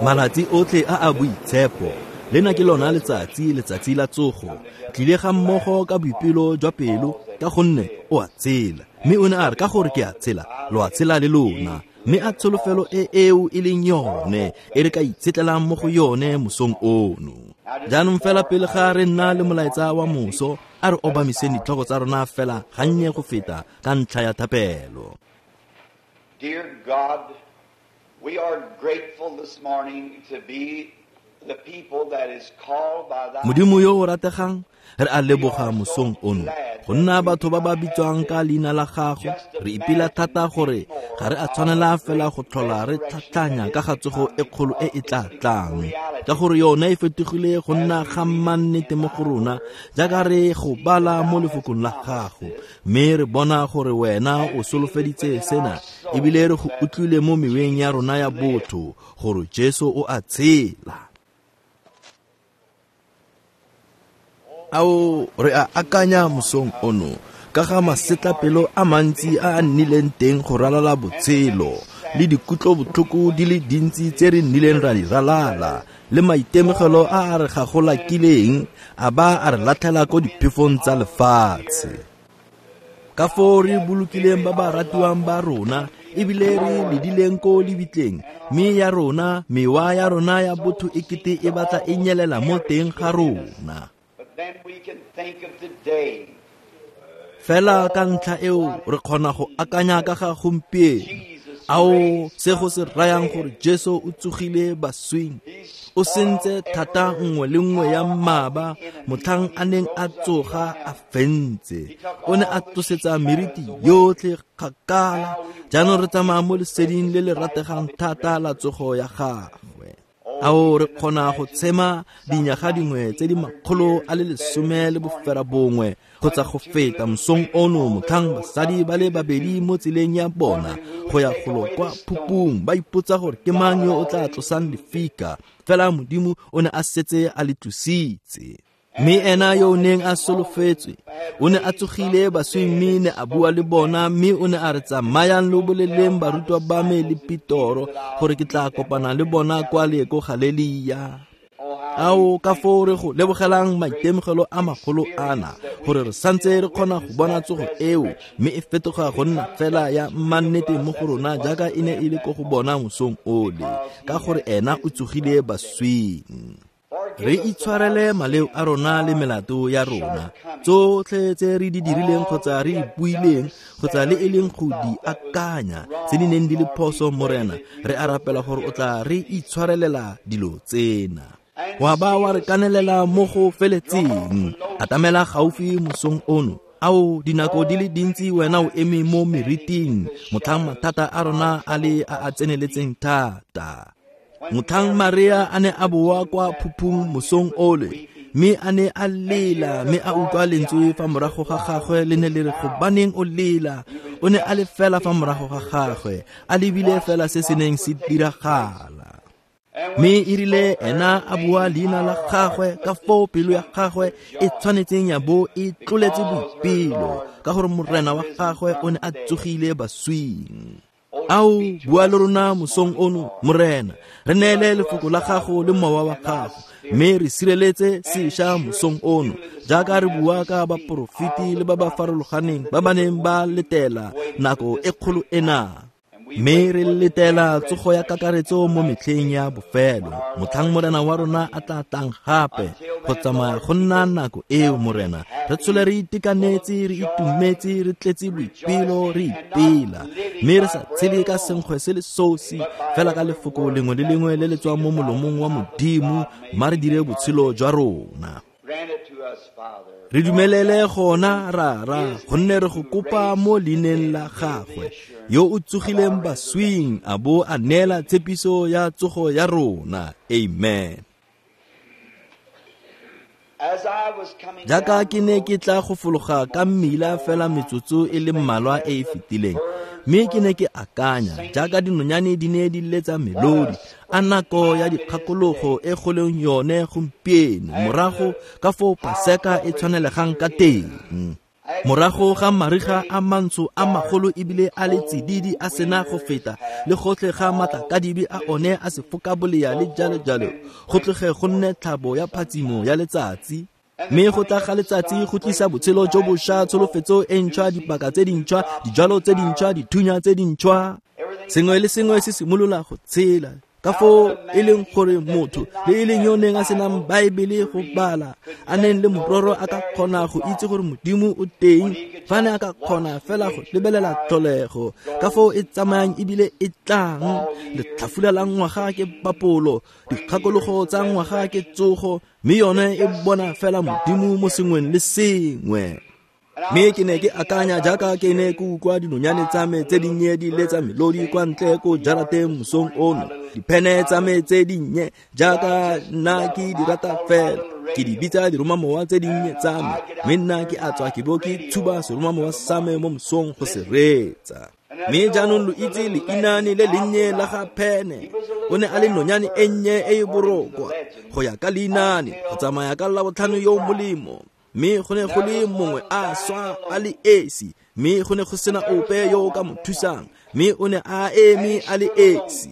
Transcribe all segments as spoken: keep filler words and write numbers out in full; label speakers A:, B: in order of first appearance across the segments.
A: Malatsi otlhe a a boitshepo lena ke lona letsatsi letsatsi la tsogo tlile ga mmogo ka boipelo jwa pelo ka gonne o a tshela mme o ne a re ka gore ke a tshela lo a tshela le lona mme a tsholofelo e eo e leng yone e re ka itshetlelang mo go yone mosong ono. Jaanong fela pele ga re nna le molaetsa wa moso a re obamiseng ditlhogo tsa rona fela gannye go feta ka ntlha ya thapelo.
B: Dear God, we are grateful this morning to be the people that is called by thy
A: Modimo yo o rategang re a leboga mosong ono go nna batho ba ba bitswang ka leina la gago. Re ipela thata gore ga re a tshwanela fela go tlhola re tlhatlhanya ka ga tsogo e kgolo e e tla tlang ka gore yone e fetogile go nna ga mannete mo go rona jaaka re go bala mo lefokong la gago mme re bona gore wena o solofeditse sena ebile re go utlwile mo meweng ya rona ya botho gore Jesu o a tshela. Ao re a akanya mosong ono ka ga masetlapelo a mantsi a a nnileng teng go ralala botshelo le dikutlobotlhoko di le dintsi tse re nnileng ra di ralala le maitemogelo a a re gagolakileng a ba a re latlhela ko diphefong tsa lefatshe. Ka foo re bolokileng ba ba ratiwang ba rona ebile re ledileng ko lebitleng mme ya rona mewa ya rona ya botho e kete e batla e nyelela mo teng ga rona.
B: Then we can think of today.
A: Fela ka ntlha eo re kgona go akanya ka ga gompieno ao se go se rayang gore Jesu o tsogile baswing o sentse thata nngwe le nngwe ya mmaba motlhang a neng a tsoga a fentse o ne a tlosetsa meriti yotlhe kgakala. Jaanong re tsamaya mo leseding le le rategang thata la tsogo ya gagwe. Ao re kgona go tshema dinyaga dingwe tse di makgolo a le lesome le bofera bongwe kgotsa go feta mosong ono motlhang basadi ba le babedi mo tseleng ya bona go ya golo kwa phupung ba ipotsa gore ke mang yo o tla tlosang lefika fela Modimo o ne a setse a le tlositse. Mme ena yo o neng a solofetswe o ne a tsogile baswing mme ne a bua le bona mme o ne a re tsamayang lo boleleng barutwa ba me le Petoro gore ke tla kopana le bona kwa le ko Galelia. Ao ka foo re go lebogelang maitemogelo a magolo ana gore re santse re kgona go bona tsogo eo mme e fetoga go nna fela ya mannete mo go rona jaaka e ne e le ko go bona mosong ole ka gore ena o tsogile baswing. Re itshwarele maleo a rona le melato ya rona tsotlhe tse re di dirileng kgotsa re di buileng kgotsa le e leng go di akanya tse di neng di le phoso Morena re a rapela gore o tla re itshwarelela dilo tsena wa ba wa re kanelela mo go feletseng. Atamela gaufi mosong ono ao dinako di le dintsi wena o eme mo meriting motlhang mathata a rona a le a a tseneletseng thata. Motlhang Maria a ne a boa kwa phupung mosong ole mme a ne a lela mme a utlwa lentswe fa morago ga gagwe le ne le re gobaneng o lela o ne a le fela fa morago ga gagwe a lebile fela se se neng se diragala. Mme e rile ena a bua leina la gagwe ka foo pelo ya gagwe e tshwanetseng ya bo e tloletse boipelo ka gore morena wa gagwe o ne a tsogile baswing. Ao bua le rona mosong ono Morena re neele lefoko la gago le mowa wa gago mme re sireletse sešwa mosong ono jaaka re bua ka baporofeti le ba ba farologaneng ba ba neng ba letela nako e kgolo ena mme re letela tsogo ya kakaretso mo metlheng ya bofelo motlhang Morena wa rona a tla tlang gape go tsamaya go nna nako eo Morena re tshole re itekanetse re itumetse re tletse boipelo re ipela mme re sa tshele ka senkgwe se le sosi fela ka lefoko lengwe le lengwe le le tswang mo molomong wa Modimo mma re dire botshelo jwa rona. Re dumelele gona rara gonne re go kopa mo leineng la gagwe yo o tsogileng baswing a bo a neela tshepiso ya tsogo ya rona. Amen. Jaaka ke ne ke tla go fologa ka mmila fela metsotso e le mmalwa e e fetileng mme ke ne ke akanya jaaka dinonyane di ne di letsa melodi a nako ya dikgakologo e go leng yone gompieno morago ka foo Paseka e tshwanelegang ka teng. Morago ga mariga a mantsho a magolo ebile a le tsididi a sena go feta, le gotlhe ga matlakadibe a one a sefokabolea le jalo jalo, go tloge go nne tlhabo ya phatsimo ya letsatsi. Mme go tla ga letsatsi go tlisa botshelo jo bošwa, tsholofetso e ntšhwa, dipaka tse dintšhwa, dijalo tse dintšhwa, dithunya tse dintšhwa. Sengwe le sengwe se simolola go tshela. Ka foo e leng gore motho le e leng yo neng a senang Baebele go bala, a neng le mororo a ka kgona go itse gore Modimo o teng, fa ne a ka kgona fela go lebelela tlholego, ka foo e tsamayang ebile e tlang. Letlhafula la ngwaga ke papolo, dikgakologo tsa ngwaga ke tsogo, mme yone e bona fela Modimo mo sengweng le sengwe. Mme ke ne ke akanya jaaka ke ne ke utlwa dinonyane tsa me tse dinnye di letsa melodi kwa ntle ko jarateng mosong ono. Diphene tsa me tse dinnye jaaka nna ke di rata fela, ke di bitsa diromamowa tse dinnye tsa me, mme nna ke a tswa ke bo ke tshuba seromamowa sa me mo mosong go se reetsa. Mme jaanong lo itse leinane le lennye la ga Phene. O ne a le nonyane e nnye e e borokwa go ya ka leinane, go tsamaya ka Labotlhano yo o molemo. Mme go ne go le mongwe a swa a le esi, mme go ne go sena ope yo o ka mo thusang, mme o ne a eme a le esi.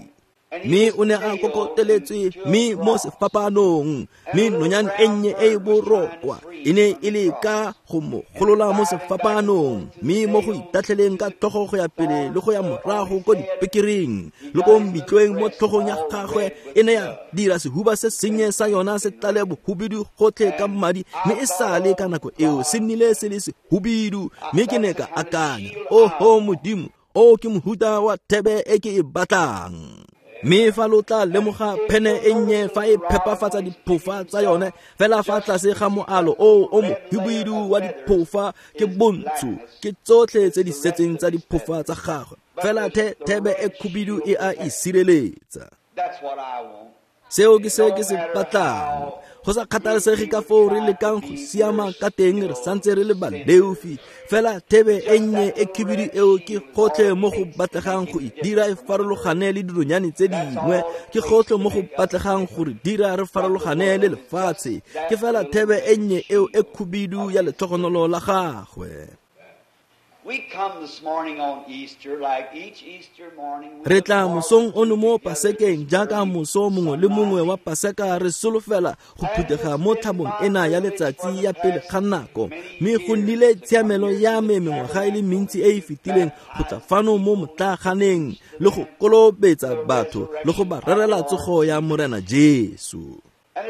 A: Mme o ne a kokoteletswe mme mo sefapanong, mme nonyane e nnye e e borokwa e ne e le ka go mo golola mo sefapanong, mme mo go itatlheleng ka tlhogo go ya pele le go ya morago ko dipekereng le ko mbitlweng mo tlhogong ya gagwe, e ne ya dira sehuba se sennye sa yona se tlale bohubidu gotlhe ka madi, mme e sale ka nako eo se nnile se le sehubidu. Mme ke ne ka akanya, oho Modimo, o ke mohuta wa thebe e ke e batlang. Mme fa lo tla lemoga phene e nnye fa e phepafatsa diphofa tsa yone fela fa tlase ga moalo o o mohibidu wa diphofa ke bontsho, ke tsotlhe tse di setseng tsa diphofa tsa gagwe, fela the thebe e khubidu e a e sireletsa. Seo ke se ke se batlang. Go sa kgathalesege ka foo re lekang go siama ka teng, re santse re le baleofi, fela thebe e nnye e khibidu eo ke gotlhe mo go batlegang go e dira e farologane le dinonyane tse dingwe, ke gotlhe mo go batlegang go re dira re farologane le lefatshe, ke fela thebe e nnye eo e khubidu ya letlhogonolo la gagwe. Re tla mosong ono mo Pasekeng jaaka moso mongwe le mongwe wa Paseka, re solofela go phuthega mo tlhabong ena ya letsatsi ya pele ga nako. Mme go nnile tshiamelo ya me mengwaga e le mentsi e e fetileng go tla fano mo motlaaganeng le go kolobetsa batho le go ba rerela tsogo ya Morena Jesu.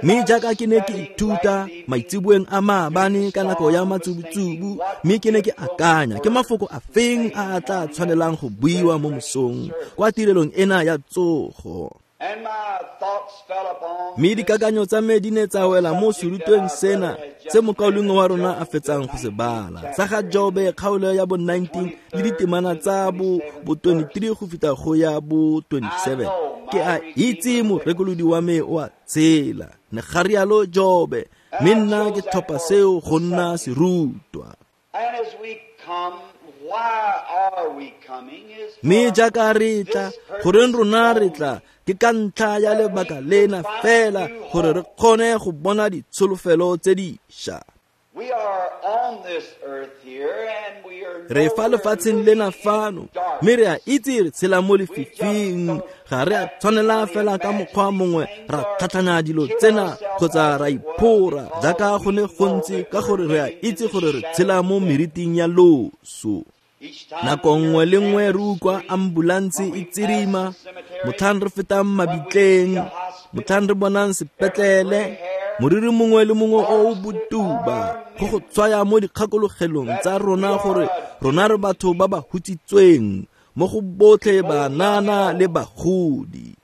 A: Mme jaaka ke ne ke ithuta maitseboeng a maabane ka nako ya matsubutsubu, mme ke ne ke akanya ke mafoko a feng a a tla tshwanelang go buiwa mo mosong kwa tirelong ena ya tsogo. Mme dikakanyo tsa me di ne tsa wela mo serutweng sena se mokaulengwe wa rona a fetsang go se bala, sa ga Jobe kgaolo ya bo nineteen le ditemana tsa bo bo twenty-three go feta go ya bo twenty-seven. Ke a itse morekolodi wa me o a tshela, ne ga rialo Jobe, mme nna ke tlhopha seo go nna serutwa. Mme jaaka re tla, goreng rona re tla, ke ka ntlha ya lebaka lena fela gore re kgone go bona ditsholofelo tse dišwa. Re fa lefatsheng lena fano, mme re a itse re tshela mo lefifing. Ga re a tshwanela fela ka mokgwa mongwe ra tlhatlhanya dilo tsena kgotsa ra iphora jaaka go ne go ntse, ka gore re a itse gore re tshela mo meriting ya loso. Nako nngwe le nngwe re utlwa ambulanse e tsirima, motlhang re fetang mabitleng, motlhang re bonang sepetlele, moriri mongwe le mongwe o o botuba go go tshwaya mo dikgakologelong tsa rona gore rona re batho ba ba hutsitsweng mo go botlhe banana le bagodi.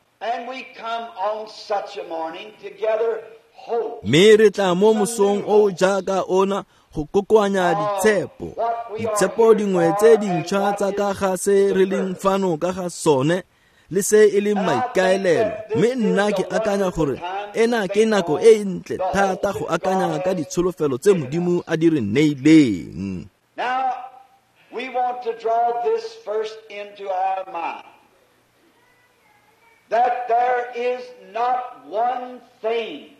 A: Mme re tla mo mosong o jaaka ona go kokoanya ditshepo, ditshepo dingwe tse dintšhwa tsa ka ga se re leng fano ka ga sone le se e leng maikaelelo. Mme nna ke akanya gore ena ke nako e e ntle thata go akanya ka ditsholofelo tse Modimo a di re neileng.
B: We want to draw this first into our mind, that there is not one thing.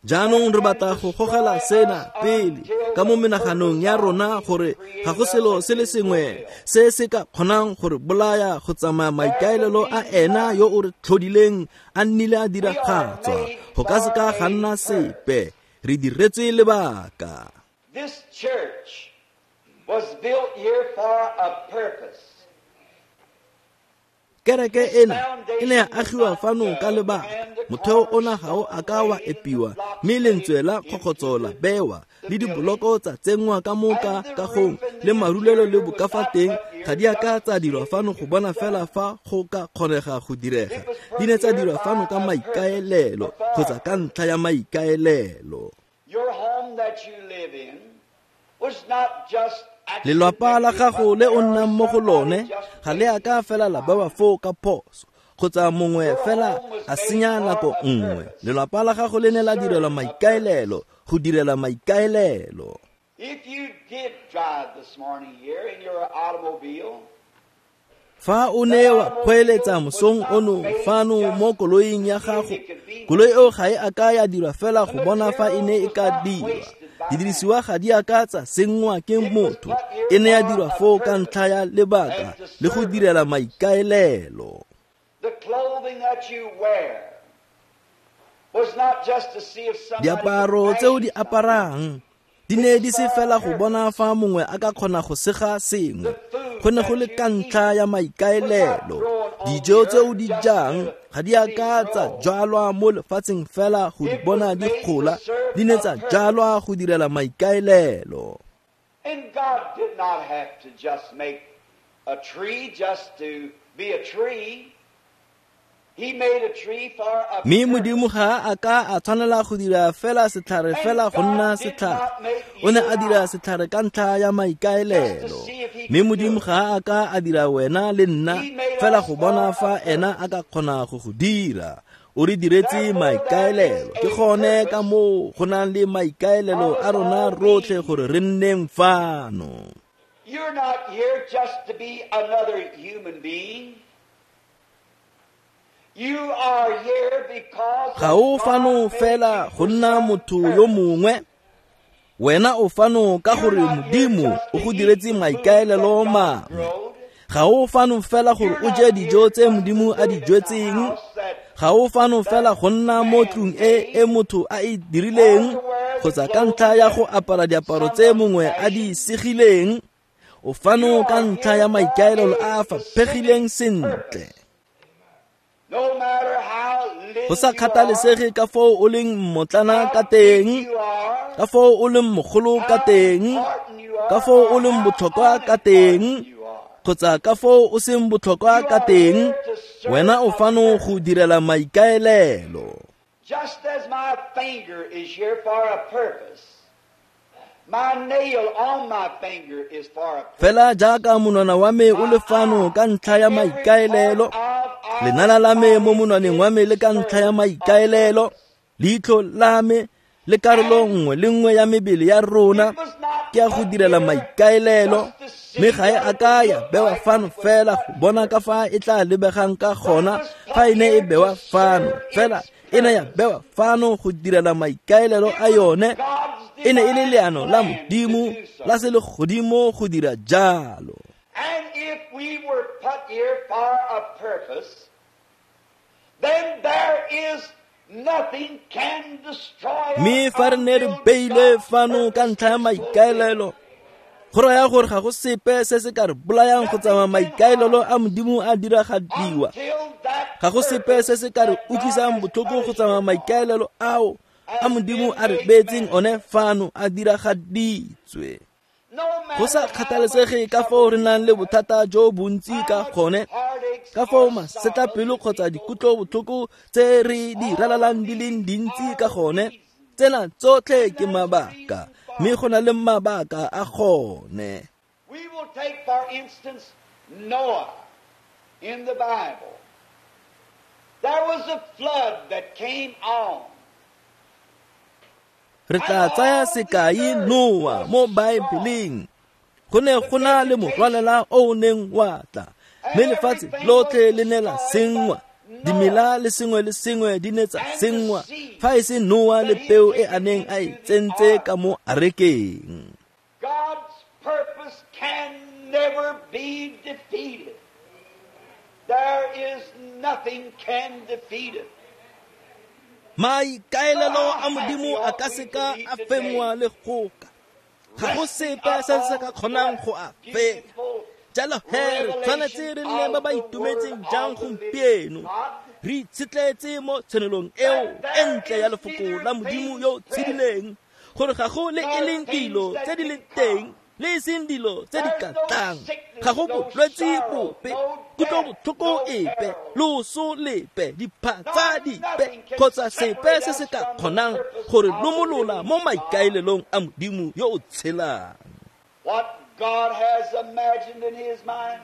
A: Jaanong re batla go gogela sena pele ka mo menaganong ya rona gore ga go selo se le sengwe se se ka kgonang gore bolaya go tsamaya maikaelelo a ena yo o re tlhodileng a nnile a diragatswa. Go ka se ka ga nna sepe, re diretswe lebaka.
B: This church was built here for a purpose.
A: Kereke ena e ne ya agiwa fano ka lebaka. Motheo ona ga o a ka wa epiwa, mme lentswe la kgokgotso la bewa, le diboloko tsa tsenngwa ka mo ka kagong, le marulelo le bokafateng ga di a ka tsa dirwa fano go bona fela fa go ka kgonega go direga. Di ne tsa dirwa fano ka maikaelelo kgotsa ka ntlha ya maikaelelo.
B: Your home that you live in was not just
A: Lelwapa la gago le o nnang mo go lone ga le a ka fela la bewa foo ka phoso kgotsa mongwe fela a senya nako nngwe. Lelwapa la gago le ne la direlwa maikaelelo go direla maikaelelo.
B: If you did drive this morning here in your automobile,
A: Fa o ne wa kgweeletsa mosong ono fano mo koloing ya gago, koloi eo ga e a ka ya dirwa fela go bona fa e ne e ka dirwa. Didirisiwa ga di a ka tsa senngwa ke motho, e ne ya dirwa foo ka ntlha ya lebaka le go direla maikaelelo.
B: the clothing that you wear was not just to see if somebody
A: Diaparo
B: could
A: tse o di
B: fashion something.
A: aparang di ne di se fela go bona fa mongwe a ka kgona go sega sengwe. Go ne go le ka ntlha ya maikaelelo. Dijo tse o di jang ga di a ka tsa jalwa mo lefatsheng fela go di bona di gola, di ne tsa jalwa go direla maikaelelo.
B: And God did not have to just make a tree just to be a tree. He made a tree for a
A: Mme
B: purpose.
A: Modimo ga a ka a tshwanela go dira fela setlhare fela go nna setlhare. O ne a dira setlhare ka ntlha ya maikaelelo. Mme Modimo ga a ka a dira wena le nna fela go bona fa ena a ka kgona go go dira. O re diretse maikaelelo. Ke gone ka moo go nang le maikaelelo a rona rotlhe gore re nneng fano.
B: You're not here just to be another human being. You are here because
A: Ga o fano
B: God made
A: fela
B: you
A: go
B: for
A: nna
B: some
A: motho yo
B: purpose.
A: mongwe. Wena o fano ka
B: You're
A: gore
B: not here
A: Modimo
B: just
A: o
B: to
A: go
B: eat
A: diretse
B: the food that
A: maikaelelo
B: God
A: mangwe.
B: growed.
A: Ga o fano fela gore
B: You're
A: o
B: not
A: je
B: here
A: dijo tse
B: just to
A: Modimo a di
B: live in the
A: jetseng.
B: house that
A: Ga o fano fela
B: that
A: go nna mo
B: man
A: tlung e e
B: made
A: motho a e
B: or
A: dirileng
B: to wear the
A: kgotsa ka
B: clothing
A: ntlha ya go
B: that
A: apara diaparo tse
B: someone
A: mongwe a di
B: fashioned.
A: segileng. O
B: You
A: fano ka
B: are
A: ntlha
B: here
A: ya
B: for
A: maikaelelo
B: a
A: a a
B: specific
A: faphegileng sentle.
B: purpose. No matter how
A: Go
B: little
A: sa
B: you are,
A: kgathalesege ka foo o leng mmotlana ka
B: how big
A: teng,
B: you are,
A: ka foo o leng mogolo ka
B: how
A: teng,
B: important you
A: ka
B: are,
A: foo o
B: or
A: leng
B: how
A: botlhokwa ka teng,
B: unimportant you are.
A: kgotsa ka foo o seng botlhokwa
B: You
A: ka
B: are
A: teng,
B: here to serve
A: wena o
B: a
A: fano go
B: purpose.
A: direla maikaelelo.
B: Just as my finger is here for a purpose, my nail on my finger is for a purpose.
A: Fela jaaka monwana wa me o
B: My
A: le fano
B: eye
A: ka ntlha ya
B: and every part
A: maikaelelo,
B: of our
A: lenala la me mo
B: body
A: monwaneng
B: is
A: wa me
B: to
A: le ka ntlha ya
B: serve a
A: maikaelelo,
B: purpose.
A: leitlho la me le karolo
B: And
A: nngwe le nngwe ya mebele ya rona
B: it was not
A: ke ya go
B: put
A: direla
B: here
A: maikaelelo.
B: just to see
A: Mme ga e
B: what
A: a
B: it
A: ka
B: would
A: ya
B: look
A: bewa
B: like when
A: fano
B: it was
A: fela
B: put
A: go bona
B: here.
A: ka fa e tla lebegang ka
B: But it
A: gona
B: was
A: fa
B: put
A: e ne e
B: here to
A: bewa fano.
B: serve
A: Fela
B: its
A: e ne ya
B: purpose.
A: bewa fano go direla maikaelelo
B: It
A: a
B: was
A: yone.
B: God's
A: E ne e le
B: divine
A: leano la
B: plan to
A: Modimo
B: do
A: la
B: so.
A: selegodimo go dira jalo.
B: And if we were put here for a purpose, then there is nothing can destroy us
A: Mme fa re ne re
B: until
A: beilwe
B: God's
A: fano ka
B: purpose
A: ntlha ya
B: is fulfilled.
A: maikaelelo, go raya gore ga go sepe se se ka re bolayang go tsamaya
B: Nothing can
A: maikaelelo
B: harm
A: a
B: us
A: Modimo a diragadiwa.
B: until that
A: Ga go sepe
B: purpose
A: se se ka re
B: that God
A: utlwisang
B: has
A: botlhoko
B: put
A: go
B: us
A: tsamaya
B: here for
A: maikaelelo ao a
B: has
A: Modimo
B: been
A: a re
B: made
A: beetseng one
B: manifest.
A: fano a diragaditswe.
B: No
A: Go sa
B: matter how much
A: kgathalesege ka foo
B: trouble
A: re
B: we
A: nang le
B: have,
A: bothata jo bontsi
B: how
A: ka
B: much
A: gone,
B: heartaches
A: ka foo
B: or sorrows
A: masetlapelo
B: that we
A: kgotsa
B: go
A: dikutlobotlhoko tse re di
B: through, all
A: ralalang di
B: these
A: leng dintsi
B: are
A: ka gone,
B: reasons,
A: tsena tsotlhe
B: and
A: ke
B: there's a
A: mabaka,
B: reason for
A: mme
B: it.
A: go na le mabaka a gone.
B: We will take, for instance, Noah in the Bible. There was a flood that came on,
A: Re
B: and
A: tla tsaya
B: all the
A: sekai
B: earth
A: Noa
B: was
A: mo
B: destroyed.
A: Baebeleng. Go ne
B: The
A: go na le morwalela
B: vegetation
A: o o neng wa tla, mme
B: and
A: lefatshe
B: everything was
A: lotlhe le ne la
B: destroyed
A: senngwa.
B: but
A: Dimela
B: Noah
A: le sengwe le sengwe di ne tsa
B: and the
A: senngwa,
B: seed.
A: fa e se Noa le peo e a neng a e tsentse ka mo arekeng.
B: God's purpose can never be defeated. There is nothing can defeat it.
A: Maikaelelo a Modimo a ka seka a fenngwa le goka. Ga go sepe se se ka kgonang go a fenya. Jalo he re tshwanetse re nne ba ba itumetseng jang gompieno, re itshetletse mo tshenolong eo e ntle ya lefoko la Modimo yo o tshedileng, gore ga go le e leng dilo tse di leng teng le e seng dilo tse di ka tlang, ga go bolwetse bope, kutlobotlhoko epe, loso lepe, diphatsa dipe kgotsa sepe se se ka kgonang gore lomolola mo maikaelelong a Modimo yo o tshelang.
B: What God has imagined in his mind,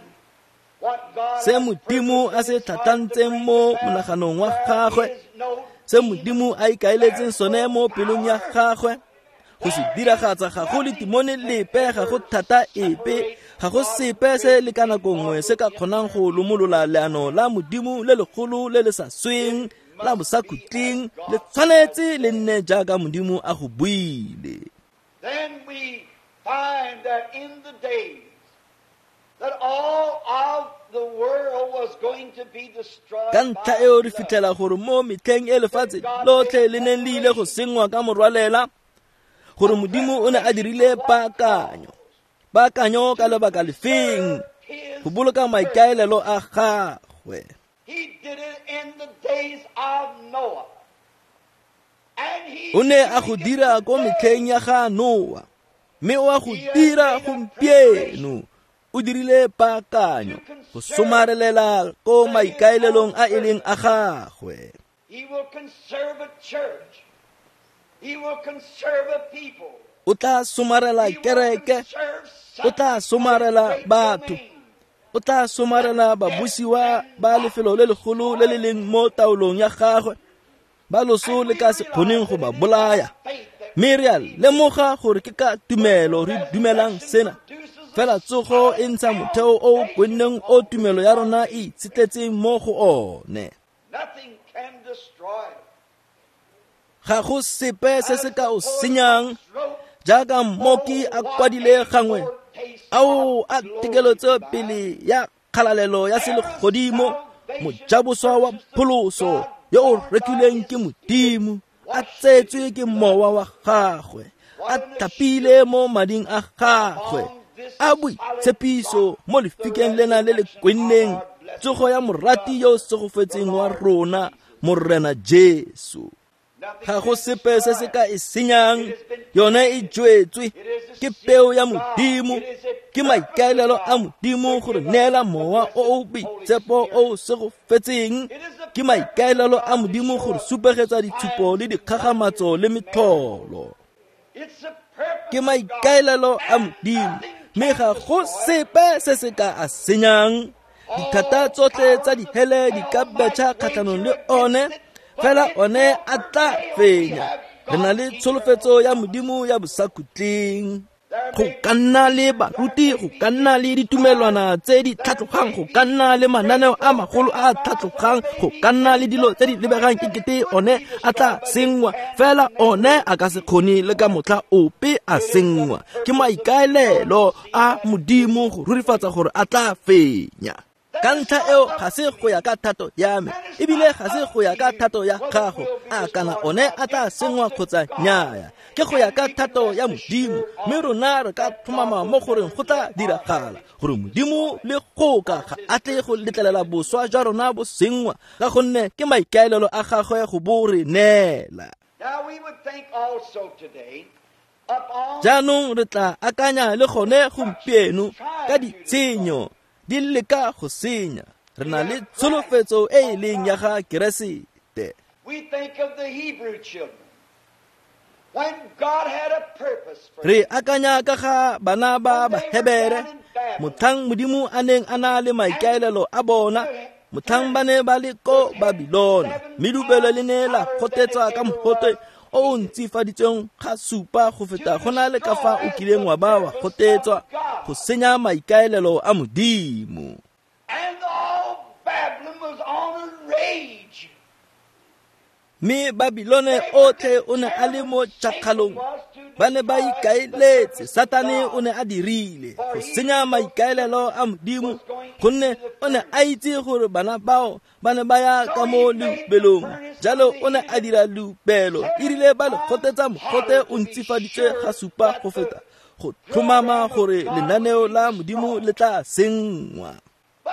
B: what God
A: Se Modimo a se tlhatlhantseng mo monaganong wa gagwe, se Modimo a ikaeletseng sone mo pelong ya gagwe, go se diragatsa ga go le timone lepe, ga go thata epe, ga go sepe se le ka nako nngwe se ka kgonang go lomolola leano la Modimo le legolo le le sa sweng la bosakhutleng. Le tshwanetse le nne jaaka Modimo a go buile.
B: Then we find that in the days that all of the world was going to be destroyed.
A: Ka ntlha eo re fitlhela gore mo metlheng e lefatshe lotlhe le neng le ile go senngwa ka morwalela, gore Modimo o ne a dirile paakanyo. Paakanyo ka lebaka lefeng? Go boloka maikaelelo a gagwe.
B: He did it in the days of Noah. And he
A: O ne a go dira ko metlheng ya ga Noa, mme o a go dira gompieno. O dirile paakanyo go somarelela ko maikaelelong a e leng a gagwe.
B: He will conserve a church. He will conserve a people.
A: O tla somarela
B: He will
A: kereke,
B: conserve
A: o tla somarela batho, o tla somarela babusiwa ba lefelo le legolo le le leng mo taolong ya gagwe, ba loso le ka se kgoneng go ba bolaya. Mme re a lemoga gore ke ka tumelo re dumelang sena. Fela tsogo e ntsha motheo o o kwenneng o tumelo ya rona e itshetletseng mo go one.
B: Nothing can destroy it.
A: Ga go sepe se se ka o senyang, jaaka mmoki a kwadile gangwe, ao a tekelotso pele ya kgalalelo ya selegodimo, mojaboswa wa pholoso yo o rekilweng ke Modimo, a tsetswe ke mowa wa gagwe, a tlhapile mo mading a gagwe, a boitshepiso mo lefikeng lena le le kwenneng, tsogo ya morati yo o segofetseng wa rona, Morena Jesu. Ga go sepe se se ka e senyang, yone e jwetswe ke peo ya Modimo, ke maikaelelo a Modimo gore neela mowa o o boitshepo o o segofetseng, ke maikaelelo a Modimo gore supegetsa ditshupo le dikgagamatso le metlholo.
B: It's a purpose
A: Ke maikaelelo a Modimo, mme ga go sepe se se ka a senyang. Dithata tsotlhe tsa dihele di ka betšha kgatlhanong le one, fela one a tla fenya. Re na le tsholofetso ya Modimo ya bosakhutleng. Go ka nna le baruti, go ka nna le ditumelwana tse di tlhatlogang, go ka nna le mananeo a magolo a a tlhatlogang, go ka nna le dilo tse di lebegang ekete one a tla senngwa, fela one a ka se kgone le ka motlha ope a senngwa. Ke maikaelelo a Modimo go rurifatsa gore a tla fenya. Ka ntlha eo ga se go ya ka thato ya me, ebile ga se go ya ka thato ya gago, a kana one a tla senngwa kgotsa nnyaya. Ke go ya ka thato ya Modimo, mme rona re ka tlhomama mo goreng go tla diragala, gore Modimo le goka ga a tle go letlelela boswa jwa rona bo senngwa, ka gonne ke maikaelelo a gagwe go bo re neela.
B: Now we would think also today upon
A: Jaanong re tla akanya le gone gompieno ka ditshenyo di leka go senya. Re na le tsholofetso e e leng ya ga Keresete.
B: We think of the Hebrew children. When God had a purpose for
A: Re akanya ka ga bana ba Bahebere, motlhang Modimo a neng a na le maikaelelo a bona, motlhang ba ne ba le ko Babilona, mme dubelo le ne la gotetswa ka mogote o o ntsifaditsweng ga supa go feta go na le ka fa o kileng wa ba wa gotetswa, go senya maikaelelo a Modimo.
B: And all Babylon was on a rage.
A: Mme Babilone otlhe o ne a le mo tšhakgalong. Ba ne ba ikaeletse, Satane o ne a dirile go senya maikaelelo a Modimo, gonne o ne a itse gore bana bao ba ne ba ya ka mo leubelong. Jalo o ne a dira leubelo, e rile ba le gotetsa mogote o ntsifaditswe ga supa go feta, go tlhomama gore lenaneo la Modimo le tla senngwa.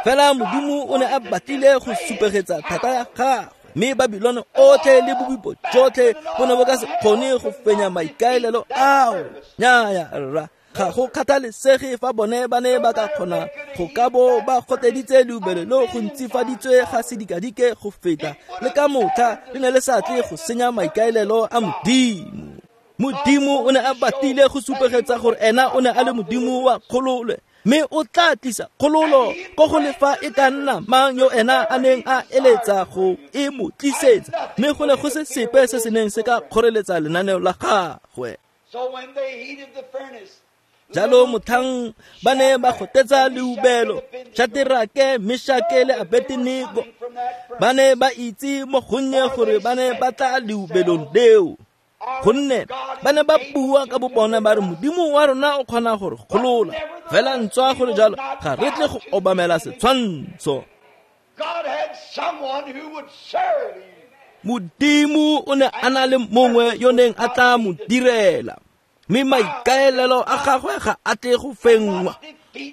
A: Fela Modimo o ne a batlile go supegetsa thata ya gagwe, mme Babilone otlhe le bobipo jotlhe bo ne bo ka se kgone go fenya maikaelelo ao. Nnyaya rra, ga go kgathalesege fa bone ba ne ba ka kgona go ka bo ba goteditse leubelo leo go ntsifaditswe ga sedikadike go feta, le ka motlha le ne le sa tle go senya maikaelelo a Modimo. Modimo o ne a batlile go supegetsa gore ena o ne a le Modimo wa kgololo, mme o tla tlisa kgololo ko go le fa e ka nna mang yo ena a neng a eletsa go e mo tlisetsa, mme go ne go se sepe se se neng se ka kgoreletsa lenaneo la gagwe. Jalo motlhang ba ne ba gotetsa leubelo, Shaterake, Meshake le Abednego ba ne ba itse mo gonnye gore ba ne ba tla leubelong leo, gonne ba ne ba bua ka bobona ba re Modimo wa rona o kgona gore golola, fela ntswa gore jalo ga re tle go obamela setshwantsho. Modimo o ne a na le mongwe yo neng a tla mo direla, mme maikaelelo a gagwe ga a tle go fenngwa.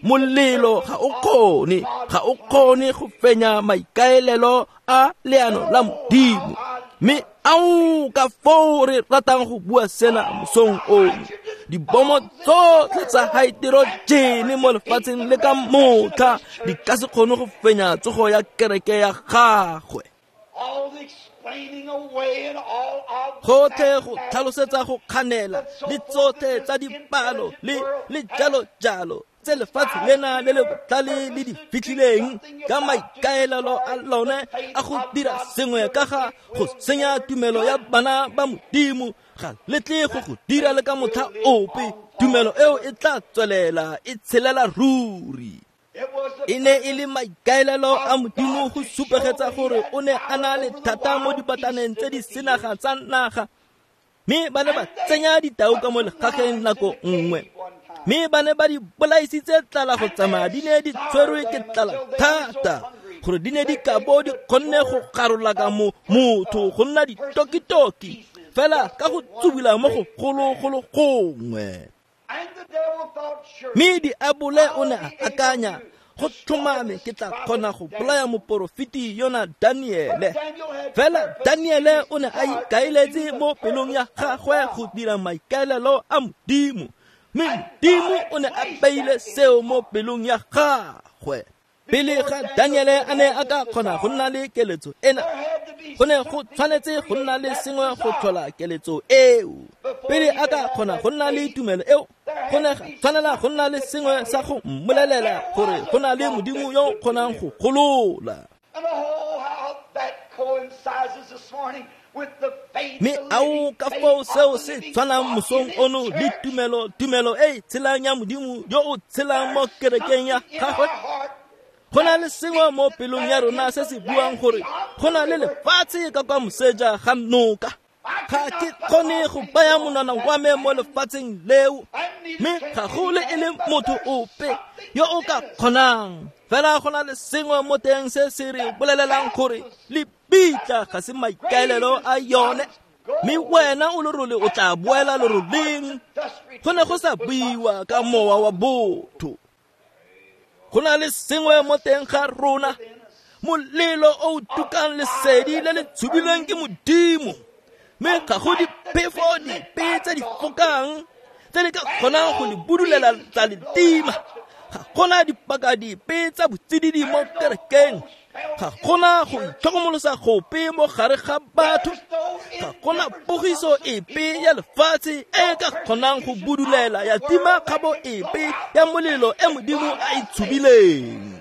A: Molelo ga o kgone, ga o kgone go fenya maikaelelo a leano la Modimo. Mme ao ka foo re ratang go bua sena mosong ono, dibomo tsotlhe tsa haeterojene mo lefatsheng le ka motlha di ka se kgone go fenya tsogo ya kereke ya gagwe. Gotlhe go tlhalosetsa go kganela le tsotlhe tsa dipalo le le jalo jalo tse lefatshe lena le le botlhale le di fitlhileng ka maikaelelo a lone a go dira sengwe ka ga go senya tumelo ya bana ba Modimo, ga le tle go go dira le ka motlha ope. Tumelo eo e tla tswelela e tshelela ruri. E ne e le maikaelelo a Modimo go supegetsa gore o ne a na le thata mo dibataneng tse di senaga tsa naga, mme ba ne ba tsenya ditau ka mo legageng nako nngwe, mme ba ne ba di bolaisitse tlala go tsamaya di ne di tshwerwe ke tlala thata gore di ne di ka bo di kgonne go garola ka mo motho go nna ditokitoki fela ka go tsubula mo go gologolo gongwe. Mme diabole o ne a akanya, go tlhomame ke tla kgona go bolaya moporofeti yona Daniele. Fela Daniele o ne a ikaeletse mo pelong ya gagwe go dira maikaelelo a Modimo, mme Modimo o ne a beile seo mo pelong ya gagwe. Pele ga Daniele a ne a ka kgona go nna le keletso ena, go ne go tshwanetse go nna le sengwe go tlhola keletso eo. Pele a ka kgona go nna le tumelo eo, go ne ga tshwanela go nna le sengwe sa go mmolelela gore go na le Modimo yo o kgonang go golola. Mme ao ka foo seo se tshwanang mosong ono le tumelo, tumelo e e tshelang ya Modimo yo o tshelang mo kerekeng ya gagwe. Go na le sengwe mo pelong ya rona se se buang gore go na le lefatshe ka kwa moseja ga noka. Ga ke kgone go baya monwana wa me mo lefatsheng leo, mme ga go le e le motho ope yo o ka kgonang. Fela go na le sengwe mo teng se se re bolelelang gore lebitla ga se maikaelelo a yone, mme wena o lerole o tla boela leroleng. Go ne go sa buiwa ka mowa wa botho. Go na le sengwe mo teng ga rona, molelo o o tukang lesedi le le tshubilweng ke Modimo, mme ga go diphefo dipe tse di fokang tse di ka kgonang go le budulela tsa le tima. Ga gona dipaka dipe tsa botsididi mo kerekeng, ga gona go itlhokomolosa gope mo gare ga batho, ga gona pogiso epe ya lefatshe e ka kgonang go budulela ya tima kgabo epe ya molelo e Modimo a e tshubileng.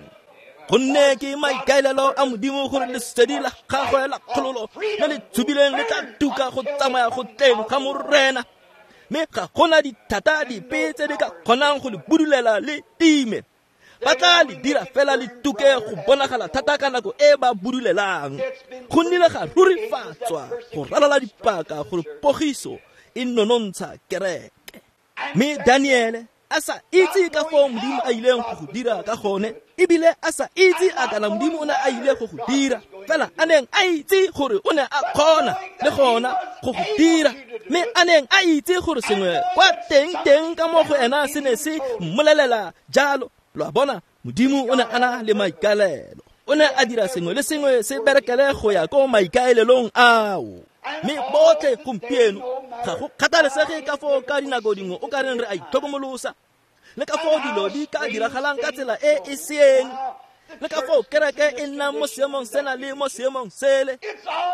A: Gonne ke maikaelelo a Modimo gore lesedi la gagwe la kgololo le le tshubileng le tla tuka go tsamaya go tleng ga Morena, mme ga gona dithata dipe tse di ka kgonang go le budulela le time. Ba tla le dira fela le tuke go bonagala thata ka nako e ba budulelang. Go nnile ga rurifatswa go ralala dipaka gore pogiso e nonontsha kereke. Mme Daniele a sa itse ka foo Modimo a ileng go go dira ka gone, ebile a sa itse a kana Modimo o ne a ile go go dira, fela a neng a itse gore o ne a kgona le gona go go dira, mme a neng a itse gore sengwe kwa teng teng ka mo go ena se ne se mmolelela jalo. Lo a bona, Modimo o ne a na le maikaelelo. O ne a dira sengwe le sengwe se berekele go ya ko maikaelelong ao. Mme botlhe gompieno ga go kgathalesege ka foo ka dinako dingwe o ka reng re a itlhokomolosa, le ka foo dilo di ka diragalang ka tsela e e seeng, le ka foo kereke e nnang mo seemong sena le mo seemong sele.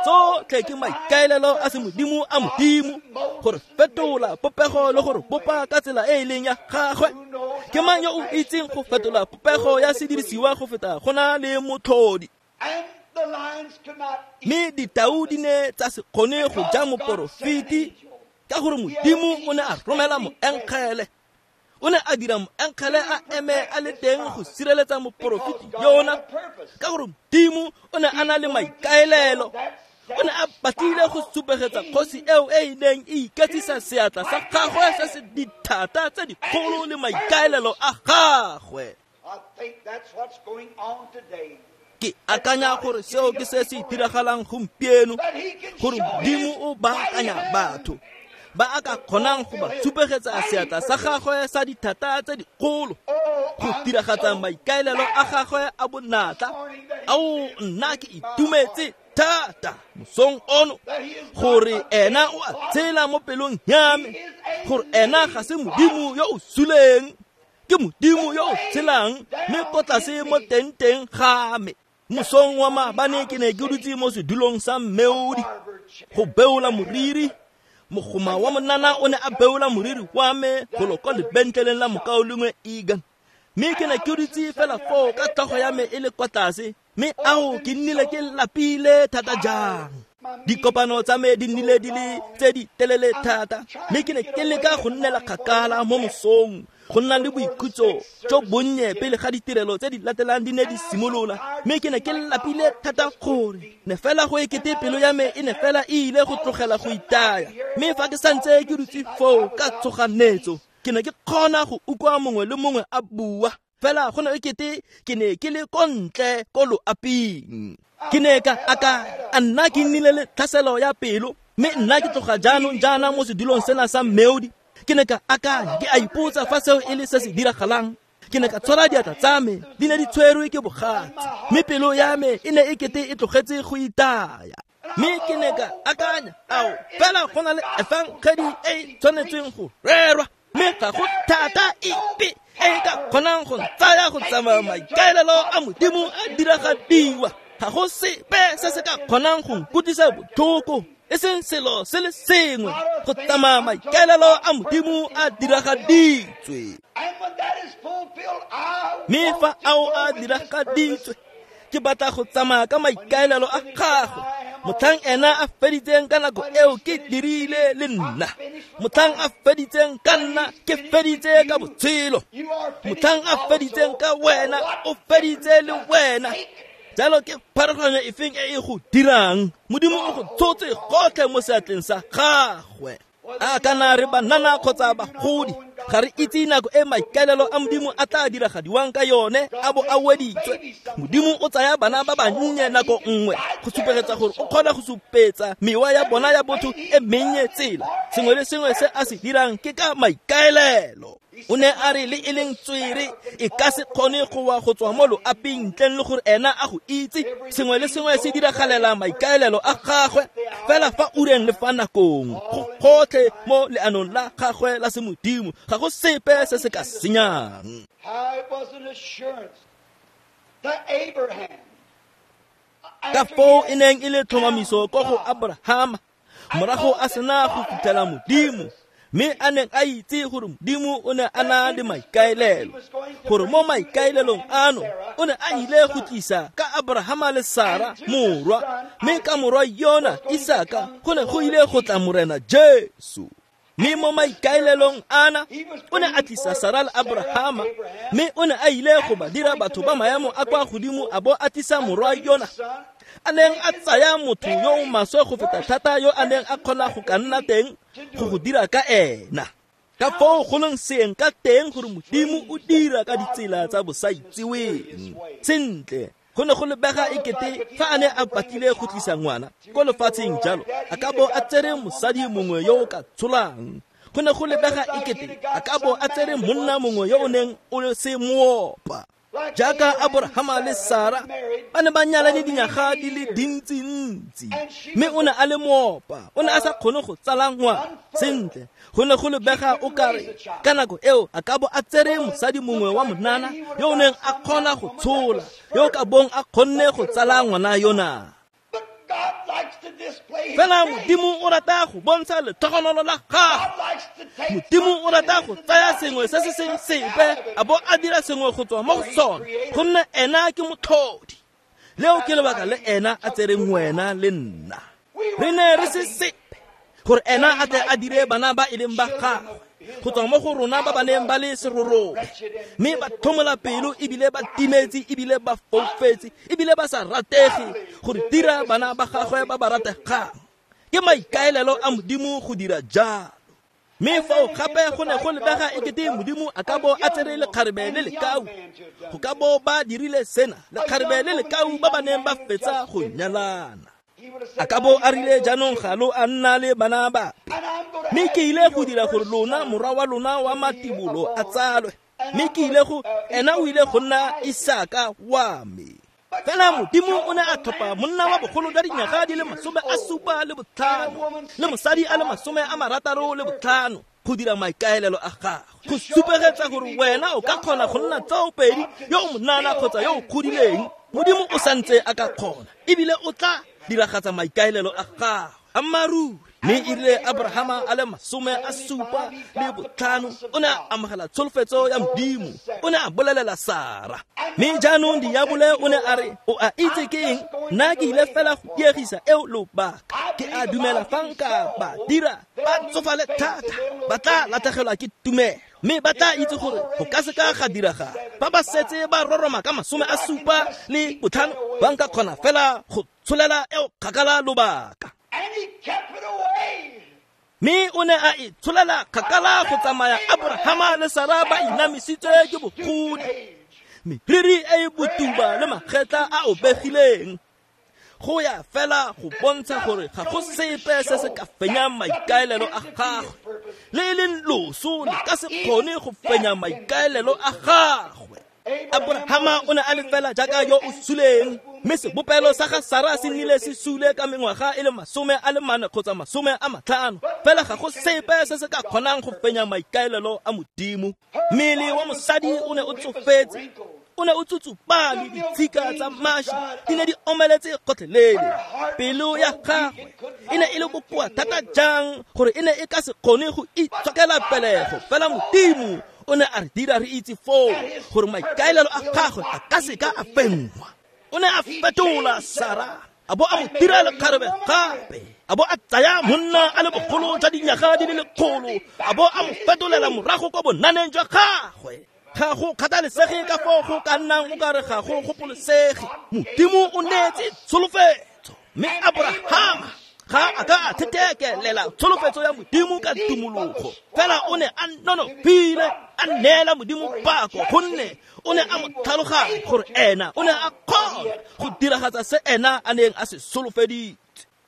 A: Tsotlhe ke maikaelelo a semodimo a Modimo gore fetola popego le gore bopa ka tsela e e leng ya gagwe. Ke mang yo o itseng go fetola popego ya sedirisiwa go feta go na le motlhodi? Mme ditau di ne tsa se kgone go ja moporofeti ka gore Modimo o ne a romela moengele. O ne a dira moengele a eme a le teng go sireletsa moporofeti yona ka gore Modimo o ne a na le maikaelelo. O ne a batlile go supegetsa kgosi eo e e neng e iketsisa seatla sa gagwe se se dithata tse dikgolo le maikaelelo a gagwe. Ke akanya gore seo ke se se diragalang gompieno, gore Modimo o baakanya batho ba a ka kgonang go ba supegetsa seatla sa gagwe sa dithata tse dikgolo go diragatsa maikaelelo a gagwe a bonatla. Ao, nna ke itumetse thata mosong ono gore ena o a tshela mo pelong ya me, gore ena ga se Modimo yo o suleng, ke Modimo yo o tshelang mme ko tlase mo teng-teng ga me. Mosong wa maabane ke ne ke dutse mo sedulong sa mmeodi go beola moriri. Mogoma wa monana o ne a beola moriri wa me golo kwa lebentleleng la mokaulengwe Egan, mme ke ne ke dutse fela foo ka tlhogo ya me e le kwa tlase, mme ao ke nnile ke lapile thata jang. Dikopano tsa me di nnile di le tse di telele thata, mme ke ne ke leka go nnela kgakala mo mosong go nna le boikhutso jo bonnye pele ga ditirelo tse di latelang di ne di simolola. Mme ke ne ke lapile thata gore ne fela go ekete pelo ya me e ne fela e ile go tlogela go itaya. Mme fa ke santse ke dutse foo ka tshoganetso, ke ne ke kgona go utlwa mongwe le mongwe a bua, fela go ne ekete ke ne ke le ko ntle ko loaping. Ke ne ka akanya, a nna ke nnile le tlhaselo ya pelo, mme nna ke tloga jaanong jaana mo sedulong sena sa mmeodi. Ke ne ka akanya, ke a ipotsa fa seo e le se se diragalang. Ke ne ka tshwara diatla tsa me, di ne di tshwerwe ke bogatse, mme pelo ya me e ne e kete e tlogetse go itaya. Mme ke ne ka akanya, ao, fela go na le efangedi e e tshwanetseng go rerwa, mme ga go thata epe e e ka kgonang go ntsaya go tsamaya maikaelelo a Modimo a diragadiwa. Ga go sepe se se ka kgonang go nkutlwisa botlhoko, e seng selo se le sengwe go tsamaya maikaelelo a Modimo a diragaditswe. Mme fa ao a diragaditswe, ke batla go tsamaya ka maikaelelo a gagwe. Motlhang ena a feditseng ka nako eo ke dirile le nna, motlhang a feditseng ka nna ke feditse ka botshelo, motlhang a feditseng ka wena o feditse le wena. Jalo ke pharologanyo efeng e e go dirang? Modimo o go tshotse gotlhe mo seatleng sa gagwe. A kana re banana kgotsa bagodi, ga re itse nako e maikaelelo a Modimo a tla diragadiwang ka yone a bo a weditswe. Modimo o tsaya bana ba bannye nako nngwe go supegetsa gore o kgona go supetsa mewa ya bona ya botho e mennye tsela. Sengwe le sengwe se a se dirang ke ka maikaelelo. O ne a re le e leng tswere e ka se kgone go wa go tswa mo loaping ntleng le gore ena a go itse. Sengwe le sengwe se diragalela maikaelelo a gagwe, fela fa ureng le fa nakong, go gotlhe mo leanong la gagwe la semodimo, ga go sepe se se ka senyang. Ka foo e neng e le tlhomamiso ko go Abrahama morago a sena go fitlhela Modimo, mme a neng a itse gore Modimo o ne a na le maikaelelo, gore mo maikaelelong ano o ne a ile go tlisa ka Abrahama le Sara morwa, mme ka morwa yona Isaka go ne go ile go tla Morena Jesu. Mme mo maikaelelong ana o ne a tlisa Sara le Abrahama, mme o ne a ile go ba dira batho ba maemo a kwa godimo a bo a tlisa morwa yona a neng a tsaya motho yo o maswe go feta thata yo a neng a kgona go ka nna teng go go dira ka ena. Ka foo go leng seeng ka teng gore Modimo o dira ka ditsela tsa bosaitseweng. Sentle, go ne go lebega ekete fa a ne a batlile go tlisa ngwana ko lefatsheng jalo, a ka bo a tsere mosadi mongwe yo o ka tsholang. Go ne go lebega ekete a ka bo a tsere monna mongwe yo o neng o se moopa. Jaaka Abrahama le Sara ba ne ba nyalane dinyaga di le dintsintsi, mme o ne a le moopa, o ne a sa kgone go tsala ngwana. Sentle, go ne go lebega o kare ka nako eo a ka bo a tsere mosadi mongwe wa monana yo o neng a kgona go tshola, yo o ka bong a kgonne go tsala ngwana yona. Fela Modimo o rata go bontsha letlhogonolo la gagwe. Modimo o rata go tsaya sengwe se se seng sepe a bo a dira sengwe go tswa mo go sone, gonne ena ke motlhodi. Leo ke lebaka le ena a tsereng wena le nna. Re ne re se sepe gore ena a tle a dire bana ba e leng ba gagwe go tswa mo go rona ba ba neng ba le serorobe, mme ba tlhomola pelo ebile ba timetse ebile ba foufetse ebile ba sa ratege gore dira bana ba gagwe ba ba rategang. Ke maikaelelo a Modimo go dira jalo. Mme fao gape go ne go lebega ekete Modimo a ka bo a tsere lekgarebe le lekau, go ka bo ba dirile sena, lekgarebe le lekau ba ba neng ba fetsa go nyalana. A ka bo a rile jaanong ga lo a nna le bana bape, mme ke ile go dira gore lona morwa wa lona wa matibolo a tsalwe, mme ke ile go ena o ile go nna Isaka wa me. Fela Modimo o ne a tlhopha monna wa bogolo jwa dinyaga di le masome a supa le botlhano le mosadi a le masome a marataro le botlhano go dira maikaelelo a gagwe, go supegetsa gore wena o ka kgona go nna tsaopedi yo o monana kgotsa yo o godileng. Modimo o santse a ka kgona ebile o tla diragatsa maikaelelo a gagwe. Ammaruri. Mme e rile Abrahama a le masome a supa le botlhano o ne a amogela tsholofetso ya Modimo, o ne a bolelela Sara. Mme jaanong diabole o ne a re, o a itse ke eng, nna ke ile fela go diegisa eo lobaka. Ke a dumela fa nka ba dira ba tsofale thata, ba tla latlhegelwa ke tumelo, mme ba tla itse gore go ka se ka ga diragala. Ba ba setse ba roroma ka masome a supa le botlhano, ba nka kgona fela go tsholela eo kgakala lobaka. Mme o ne a e tsholela kgakala go tsamaya Abrahama le Sara ba inamisitswe ke bogodi, meriri e e botuba le magetla a obegileng, go ya fela go bontsha gore ga go sepe se se ka fenyang maikaelelo a gagwe, le e leng loso le ka se kgone go fenya maikaelelo a gagwe. Abrahama o ne a le fela jaaka yo o suleng, mme sebopelo sa ga Sara se nnile se sule ka mengwaga e le masome a le mane kgotsa masome a matlhano. Fela ga go sepe se se ka kgonang go fenya maikaelelo a Modimo. Mmele wa mosadi o ne o tsofetse, o ne o tsutsupale, ditshika tsa mashi di ne di omeletse gotlhelele. Pelo ya gagwe e ne e le bokoa thata jang gore e ne e ka se kgone go itshokela pelego. Fela Modimo o ne a re dira re itse foo gore maikaelelo a gagwe a ka se ka a fenngwa. O ne a fetola Sara a bo a mo dira lekgarebe gape, a bo a tsaya monna a le bogolo jwa dinyaga di le lekgolo, a bo a mo fetolela morago kwa bonaneng jwa gagwe. Ga go kgathalesege ka foo go ka nnang o kare ga go gopolesege, Modimo o neetse tsholofetso. Mme Abrahama ga a ka a thethekelela tsholofetso ya Modimo ka tumologo, fela o ne a nonofile a neela Modimo pako, gonne o ne a mo tlhaloganya gore ena o ne a kgona go diragatsa se ena a neng a se solofeditse.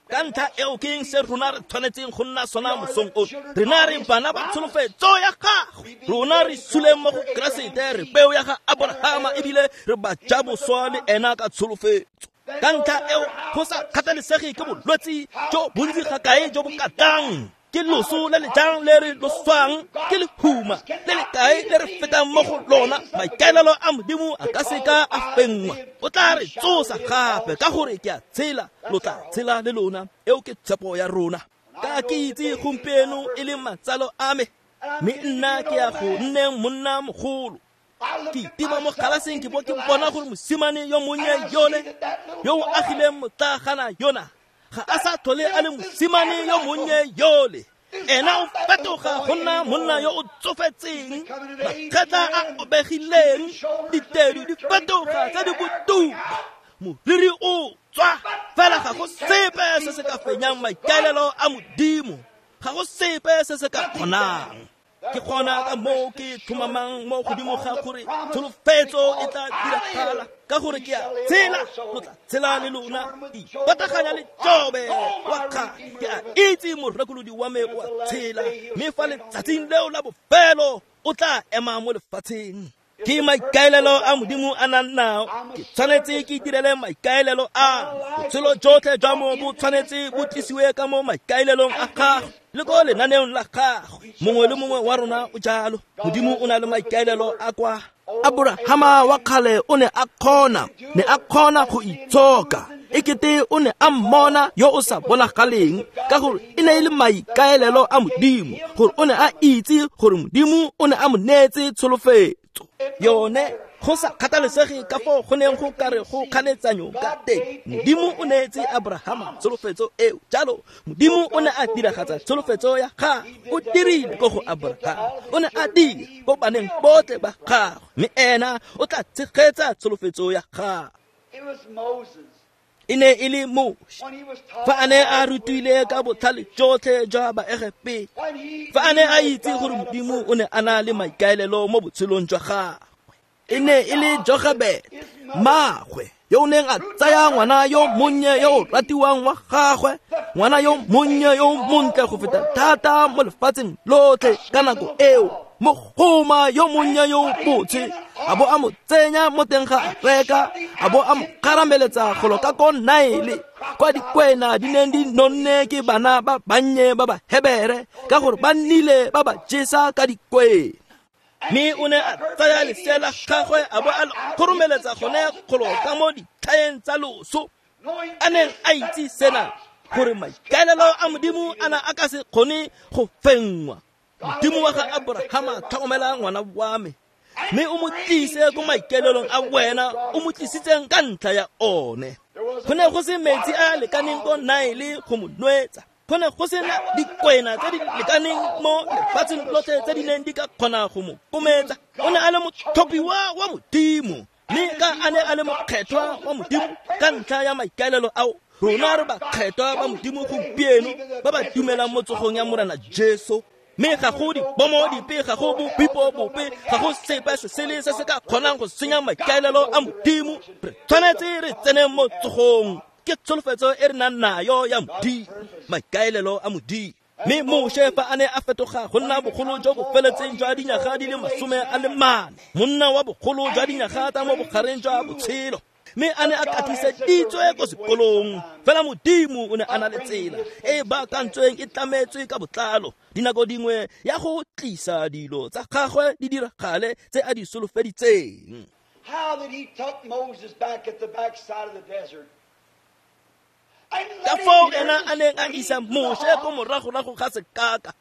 A: Ka ntlha eo ke eng se rona re tshwanetseng go nna sona mosong ono? Rena re bana ba tsholofetso ya gagwe, rona re suleng mo go Keresete, re peo ya ga Abrahama ebile re ba ja boswa le ena ka tsholofetso. Ka ntlha eo go sa kgathalesege ke bolwetse jo bontsi ga kae jo bo ka tlang, ke loso le le jang le re loswang, ke lehuma le le kae le re fetang mo go lona, maikaelelo a Modimo a ka se ka a fenngwa. O tla re tsosa gape ka gore ke a tshela, lo tla tshela le lona. Eo ke tshepo ya rona. Ka ke itse gompieno e le matsalo a me, mme nna ke ya go nneng monna mogolo. Ke itima mo galaseng ke bo ke bona gore mosimane yo monnye yole yo o agileng motlagana yona ga a sa tlhole a le mosimane yo monnye yole. Ena o fetoga go nna monna yo o tsofetseng, magetla a obegileng, ditedu di fetoga tse di botuba, moriri o tswa, fela ga go sepe se se ka fenyang maikaelelo a Modimo, ga go sepe se se ka kgonang. Ke kgona ka moo ke tlhomamang mo godimo ga gore tsholofetso e tla diragala, ka gore ke a tshela, lo tla tshela le lona. Ipataganya le Jobe wa kgale, ke a itse morekolodi wa me o a tshela, mme fa letsatsing leo la bofelo o tla ema mo lefatsheng. Ke maikaelelo a Modimo a nang nao, ke tshwanetse ke direle maikaelelo a. Botshelo jotlhe jwa mo bo tshwanetse bo tlisiwe ka mo maikaelelong a gagwe le ko lenaneong la gagwe. Mongwe le mongwe wa rona o jalo. Modimo o na le maikaelelo a kwa. Abrahama wa kgale o ne a kgona, ne a kgona go itshoka. Ekete o ne a mmona yo o sa bonagaleng, ka gore e ne e le maikaelelo a Modimo, gore o ne a itse gore Modimo o ne a mo neetse tsholofetso. Yone go sa kgathalesege ka foo go neng go kare go kganetsanyo ka teng, Modimo o neetse Abrahama tsholofetso eo. Jalo Modimo o ne a diragatsa tsholofetso ya gagwe, o dirile ko go Abrahama, o ne a dira ko baneng botlhe ba gagwe, mme ena o tla tshegetsa tsholofetso ya gagwe. E ne e le Moshe fa a ne a rutile ka botlhale jotlhe jwa Baegepeta, fa a ne a itse gore Modimo o ne a na le maikaelelo mo botshelong jwa gagwe. E ne e le Jochebed, mmaagwe, yo o neng a tsaya ngwana yo monnye yo o ratiwang wa gagwe, ngwana yo monnye yo montle go feta thata mo lefatsheng lotlhe ka nako eo, mogoma yo monnye yo botshe, a bo a mo tsenya mo teng ga areka, a bo a mo kgarameletsa golo ka ko Nile, kwa dikwena di neng di nonne ke bana ba bannye ba Bahebere, ka gore ba nnile ba ba jesa ka dikwena. Mme o ne a tsaya lesea la gagwe a bo a le kgoromeletsa gone kgolo ka mo ditlhaeng tsa loso, a neng a itse sena, gore maikaelelo a Modimo a na a ka se kgone go fenngwa. Modimo wa ga Abrahama, tlhokomela ngwana wa me, mme o mo tlise ko maikaelelong a wena o mo tlisitseng ka ntlha ya one. Go ne go se metsi a lekaneng ko Nile go mo nwetsa, go ne go sena dikwena tse di lekaneng mo lefatsheng lotlhe tse di neng di ka kgona go mo kometsa. O ne a le motlhophiwa wa Modimo, mme ka a ne a le mokgethwa wa Modimo ka ntlha ya maikaelelo ao, rona re bakgethwa ba Modimo gompieno ba ba dumelang mo tsogong ya Morena Jesu. Mme ga go dibomo dipe, ga go bobipo bope, ga go sepe se sele se se ka kgonang go senya maikaelelo a Modimo. Re tshwanetse re tsene mo tsogong, ke tsholofetso e re nang nayo ya Modimo, maikaelelo a Modimo. Mme Moshe fa a ne a fetoga go nna bogolo jo bo feletseng jwa dinyaga di le masome a le mane, monna wa bogolo jwa dinyaga tsa mo bogareng jwa botshelo, mme a ne a katiseditswe ko sekolong, fela Modimo o ne a na le tsela e e baakantsweng e tlametswe ka botlalo dinako dingwe ya go tlisa dilo tsa gagwe di diragale tse a di solofeditseng.
B: How that he took Moses back at the backside of the desert.
A: Ka foo ena a neng a isa Moshe ko moragorago ga sekaka,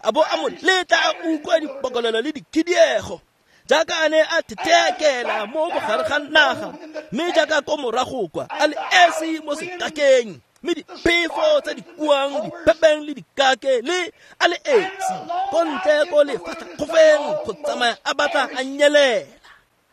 A: a bo a mo letla a utlwa dipokolelo le dikhidiego, jaaka a ne a thetheakela mo bogare ga naga, mme jaaka ko morago kwa a le esi mo sekakeng, mme diphefo tse di kuang dipepeng le dikake le a le esi ko ntle ko lefatlhakgofeng go tsamaya a batla a nyelela.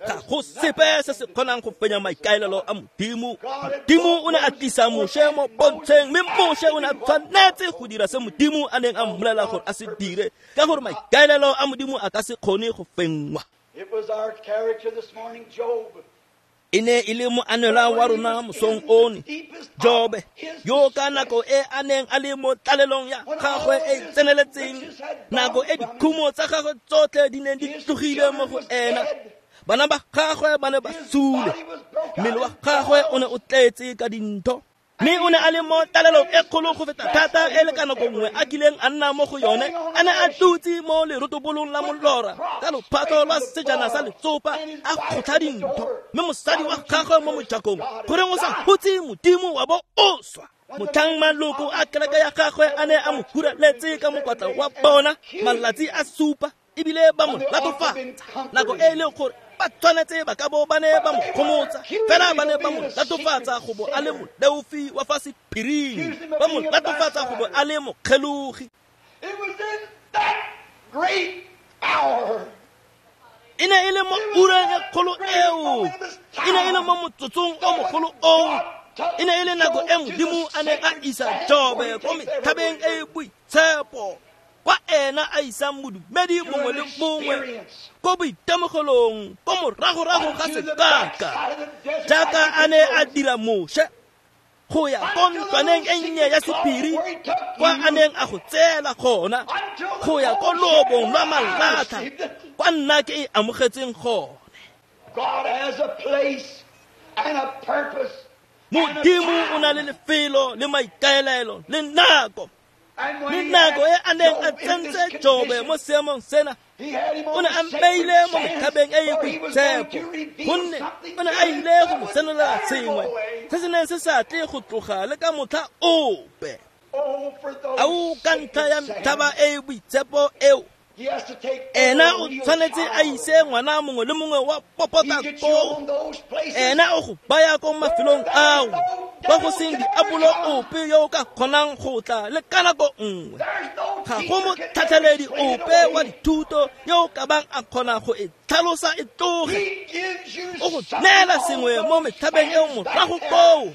A: Ga go sepe se se kgonang go fenya maikaelelo a Modimo. Modimo o ne a tlisa Moshe mo pontsheng, mme Moshe o ne a tshwanetse go dira se Modimo a neng a mmolelela gore a se dire, ka gore maikaelelo a Modimo a ka se kgone go fenngwa.
B: It was our character this morning, Job.
A: E ne e le moanelwa wa rona mosong ono, Jobe, yo ka nako e a neng a le mo tlalelong ya gagwe e e tseneletseng, nako e dikhumo tsa gagwe tsotlhe di neng di tlogile mo go ena, bana ba gagwe ba ne ba sule, mmele wa gagwe o ne o tletse ka dintho, mme o ne a le mo tlalelong e kgolo go feta thata e le ka nako nngwe a kileng a nna mo go yone. A ne a dutse mo lerotobolong la molora ka lophatlo lwa sejana sa letsopa a kgotlha dintho, mme mosadi wa gagwe mo mojakong, goreng o sa hutse Modimo wa bo o swa. Motlhang maloko a kereke ya gagwe a ne a mo huraletse ka mokwatla wa bona malatsi a supa, ebile ba mo latofatsa nako e e leng gore ba tshwanetse ba ka bo ba ne ba mo gomotsa, fela ba ne ba mo latofatsa go bo a le moleofi wa fa sephiring, ba mo latofatsa go bo a le mokgelogi.
B: It was in that great hour.
A: E ne e le mo ureng e kgolo eo, e ne e le mo motsotsong o mogolo oo, e ne e le nako e Modimo a neng a isa Jobe ko metlhabeng e e boitshepo, kwa ena a isang modumedi mongwe le mongwe ko boitemogelong ko moragorago ga sekaka, jaaka a ne a dira Moshe go ya ko ntlwaneng e nnye ya sephiri kwa a neng a go tseela gona, go ya ko loobong lwa malatha kwa nna ke e amogetseng gone.
B: God has a place and a purpose.
A: Modimo o na le lefelo le maikaelelo le nako. Mme nako e a neng a tsentse Jobe mo seemong sena, o ne a mmeile mo metlhabeng e e boitshepo, gonne o ne a ile go mo senolela sengwe se se neng se sa tle go tloga le ka motlha ope. Ao ka ntlha ya metlhaba e e boitshepo eo, ena o tshwanetse a ise ngwana mongwe le mongwe wa popota koo. Ena o go baya ko mafelong ao kwa go seng diabolo ope yo o ka kgonang go tla le ka nako nngwe. Ga go motlhatlheledi ope wa dithuto yo o ka bang a kgona go e tlhalosa e tloge. O go neela sengwe mo metlhabeng eo morago koo,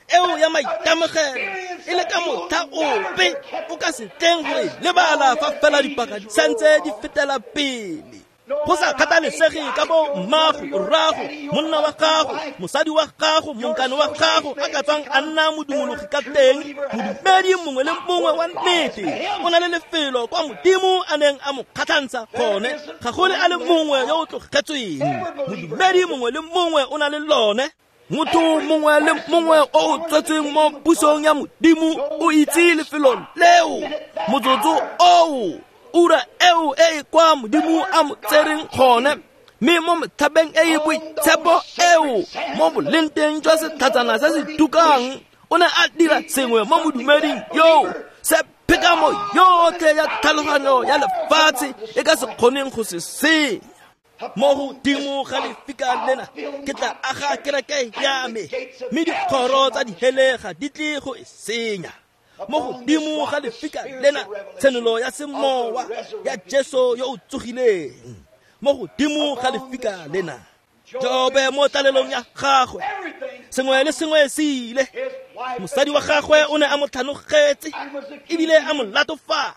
A: eo ya maitemogelo, e le ka motlha ope o ka se tleng go e lebala fa fela dipaka di santse di fetela pele. Go sa kgathalesege ka bo mmago, rrago, monna wa gago, mosadi wa gago, monkane wa gago a ka tswang a nna modumologi ka teng, modumedi mongwe le mongwe wa nnete o na le lefelo kwa Modimo a neng a mo kgatlhantsha gone. Ga go le a le mongwe yo o tlogetsweng. Modumedi mongwe le mongwe o na le lone. Motho mongwe le mongwe o o tswetsweng mo pusong ya Modimo o itse lefelo leo, motsotso oo, ura eo e e kwa Modimo a mo tsereng gone. Mme mo metlhabeng e e boitshepo eo, mo bolenteng jwa setlhatsana se se tukang, o ne a dira sengwe mo modumeding yoo se phekamo yotlhe ya tlhaloganyo ya lefatshe e ka se kgoneng go se senya. Mo godimo ga lefika lena ke tla aga kereke ya me, mme dikgoro tsa dihele ga di tle go e senya. Mo godimo ga lefika lena tshenolo ya semowa ya Jesu yo o tsogileng. Mo godimo ga lefika lena Jobe mo tlalelong ya gagwe, sengwe le sengwe se ile. Mosadi wa gagwe o ne a mo tlhanogetse ebile a mo latofatsa,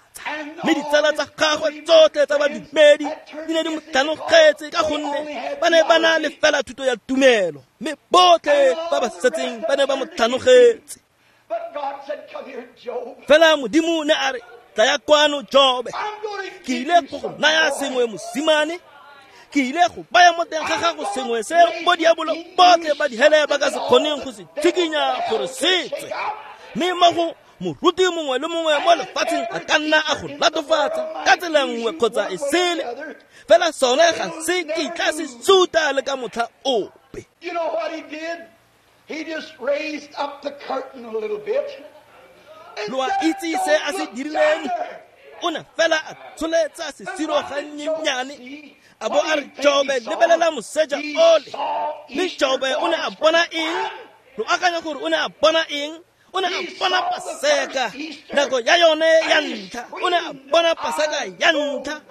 A: mme ditsala tsa gagwe tsotlhe tsa badumedi di ne di mo tlhanogetse ka gonne ba ne ba na le fela thuto ya tumelo, mme botlhe ba ba setseng ba ne ba mo tlhanogetse. Fela Modimo ne a re, tlaya kwano Jobe, ke ile go go naya sengwe mosimane, ke ile go baya mo teng ga gago sengwe se bo diabolo botlhe ba dihele ba ka se kgoneng go se tshikinya gore se tswe. Mme mo go moruti mongwe le mongwe mo lefatsheng a ka nna a go latofatsa ka tsela nngwe kgotsa e sele, fela sone ga se kitla se suta le ka motlha ope.
B: You know what he did? He just raised up the curtain a little bit.
A: Lo a itse se a se dirileng? O ne fela a tsholetsa sesiro gannyenyane, a bo a re, Jobe, lebelela moseja ole. Mme Jobe o ne a bona eng? Lo akanya gore o ne a bona eng? O ne a bona Paseka nako ya yone ya ntlha. O ne a bona Paseka ya ntlha,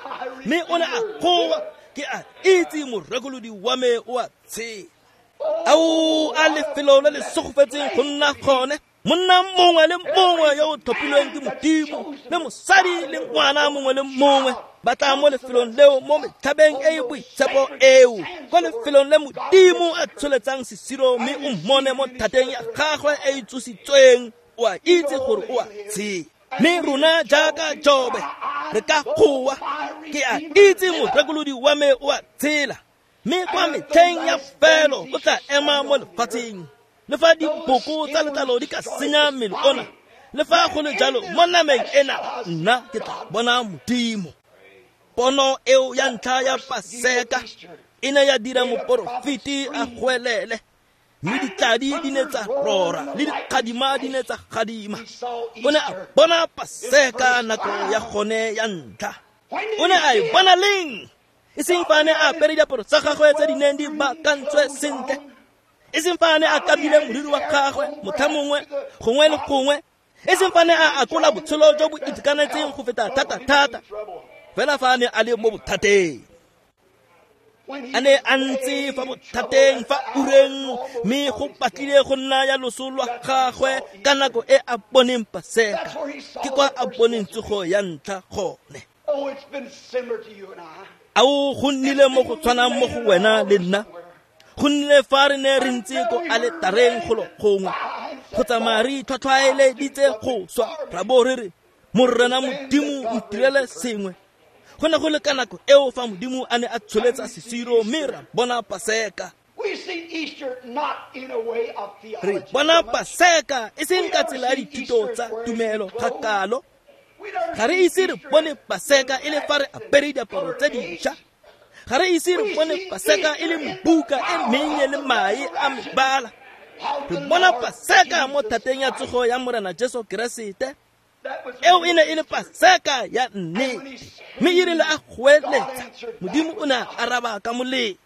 A: mme o ne a goa, ke a itse morekolodi wa me o a tshela. Ao a lefelo le le segofetseng go nna gone. Monna mongwe le mongwe yo o tlhophilweng ke Modimo, le mosadi le ngwana mongwe le mongwe ba tla mo lefelong leo, mo metlhabeng e e boitshepo eo, kwa lefelong le Modimo a tsholetsang sesiro, mme o mmone mo thateng ya gagwe e e tsositsweng. O a itse gore o a tshela. Mme rona jaaka Jobe re ka goa, ke a itse morekolodi wa me o a tshela, mme kwa metlheng ya felo o tla ema mo lefatsheng. Le fa diboko tsa letlalo di ka senya mmele ona, le fa go le jalo mo nameng ena nna ke tla bona Modimo. Pono eo ya ntlha ya Paseka e ne ya dira moporofeti a goelele, mme ditladi di ne tsa rora le dikgadima di ne tsa gadima. O ne a bona Paseka nako ya gone ya ntlha. O ne a e bona leng? E seng fa a ne a apere diaparo tsa gagwe tse di neng di baakantswe sentle, e seng fa a ne a kabile moriri wa gagwe motlha mongwe gongwe le gongwe, E seng fa ne a akola botshelo jo bo itekanetseng go feta thata-thata, fela fa a ne a le mo bothateng. A ne a ntse fa bothateng fa ureng, mme go batlile go nna ya loso lwa gagwe ka nako e a boneng Paseka. Ke kwa a boneng tsogo ya ntlha gone. Ao, go nnile mo go tshwanang mo go wena le nna. Go nnile fa re ne re ntse ko aletareng golo gongwe, go tsamaya re itlhwatlhwaeleditse go swa, ra bo re re, Morena Modimo ntirele sengwe. Go ne go le ka nako eo fa Modimo a ne a tsholetsa sesiro mme ra bona Paseka. Re bona Paseka e seng ka tsela ya dithuto tsa tumelo ga kalo. Ga re ise re bone Paseka e le fa re apere diaparo tse dišwa. Ga re ise re bone Paseka e le mebuka e mennye le mae a mebala. Re bona Paseka mo thateng ya tsogo ya Morena Jesu Keresete. Eo e ne e le Paseka ya nnete, mme e rile a goeletsa, Modimo o ne a araba ka molelo.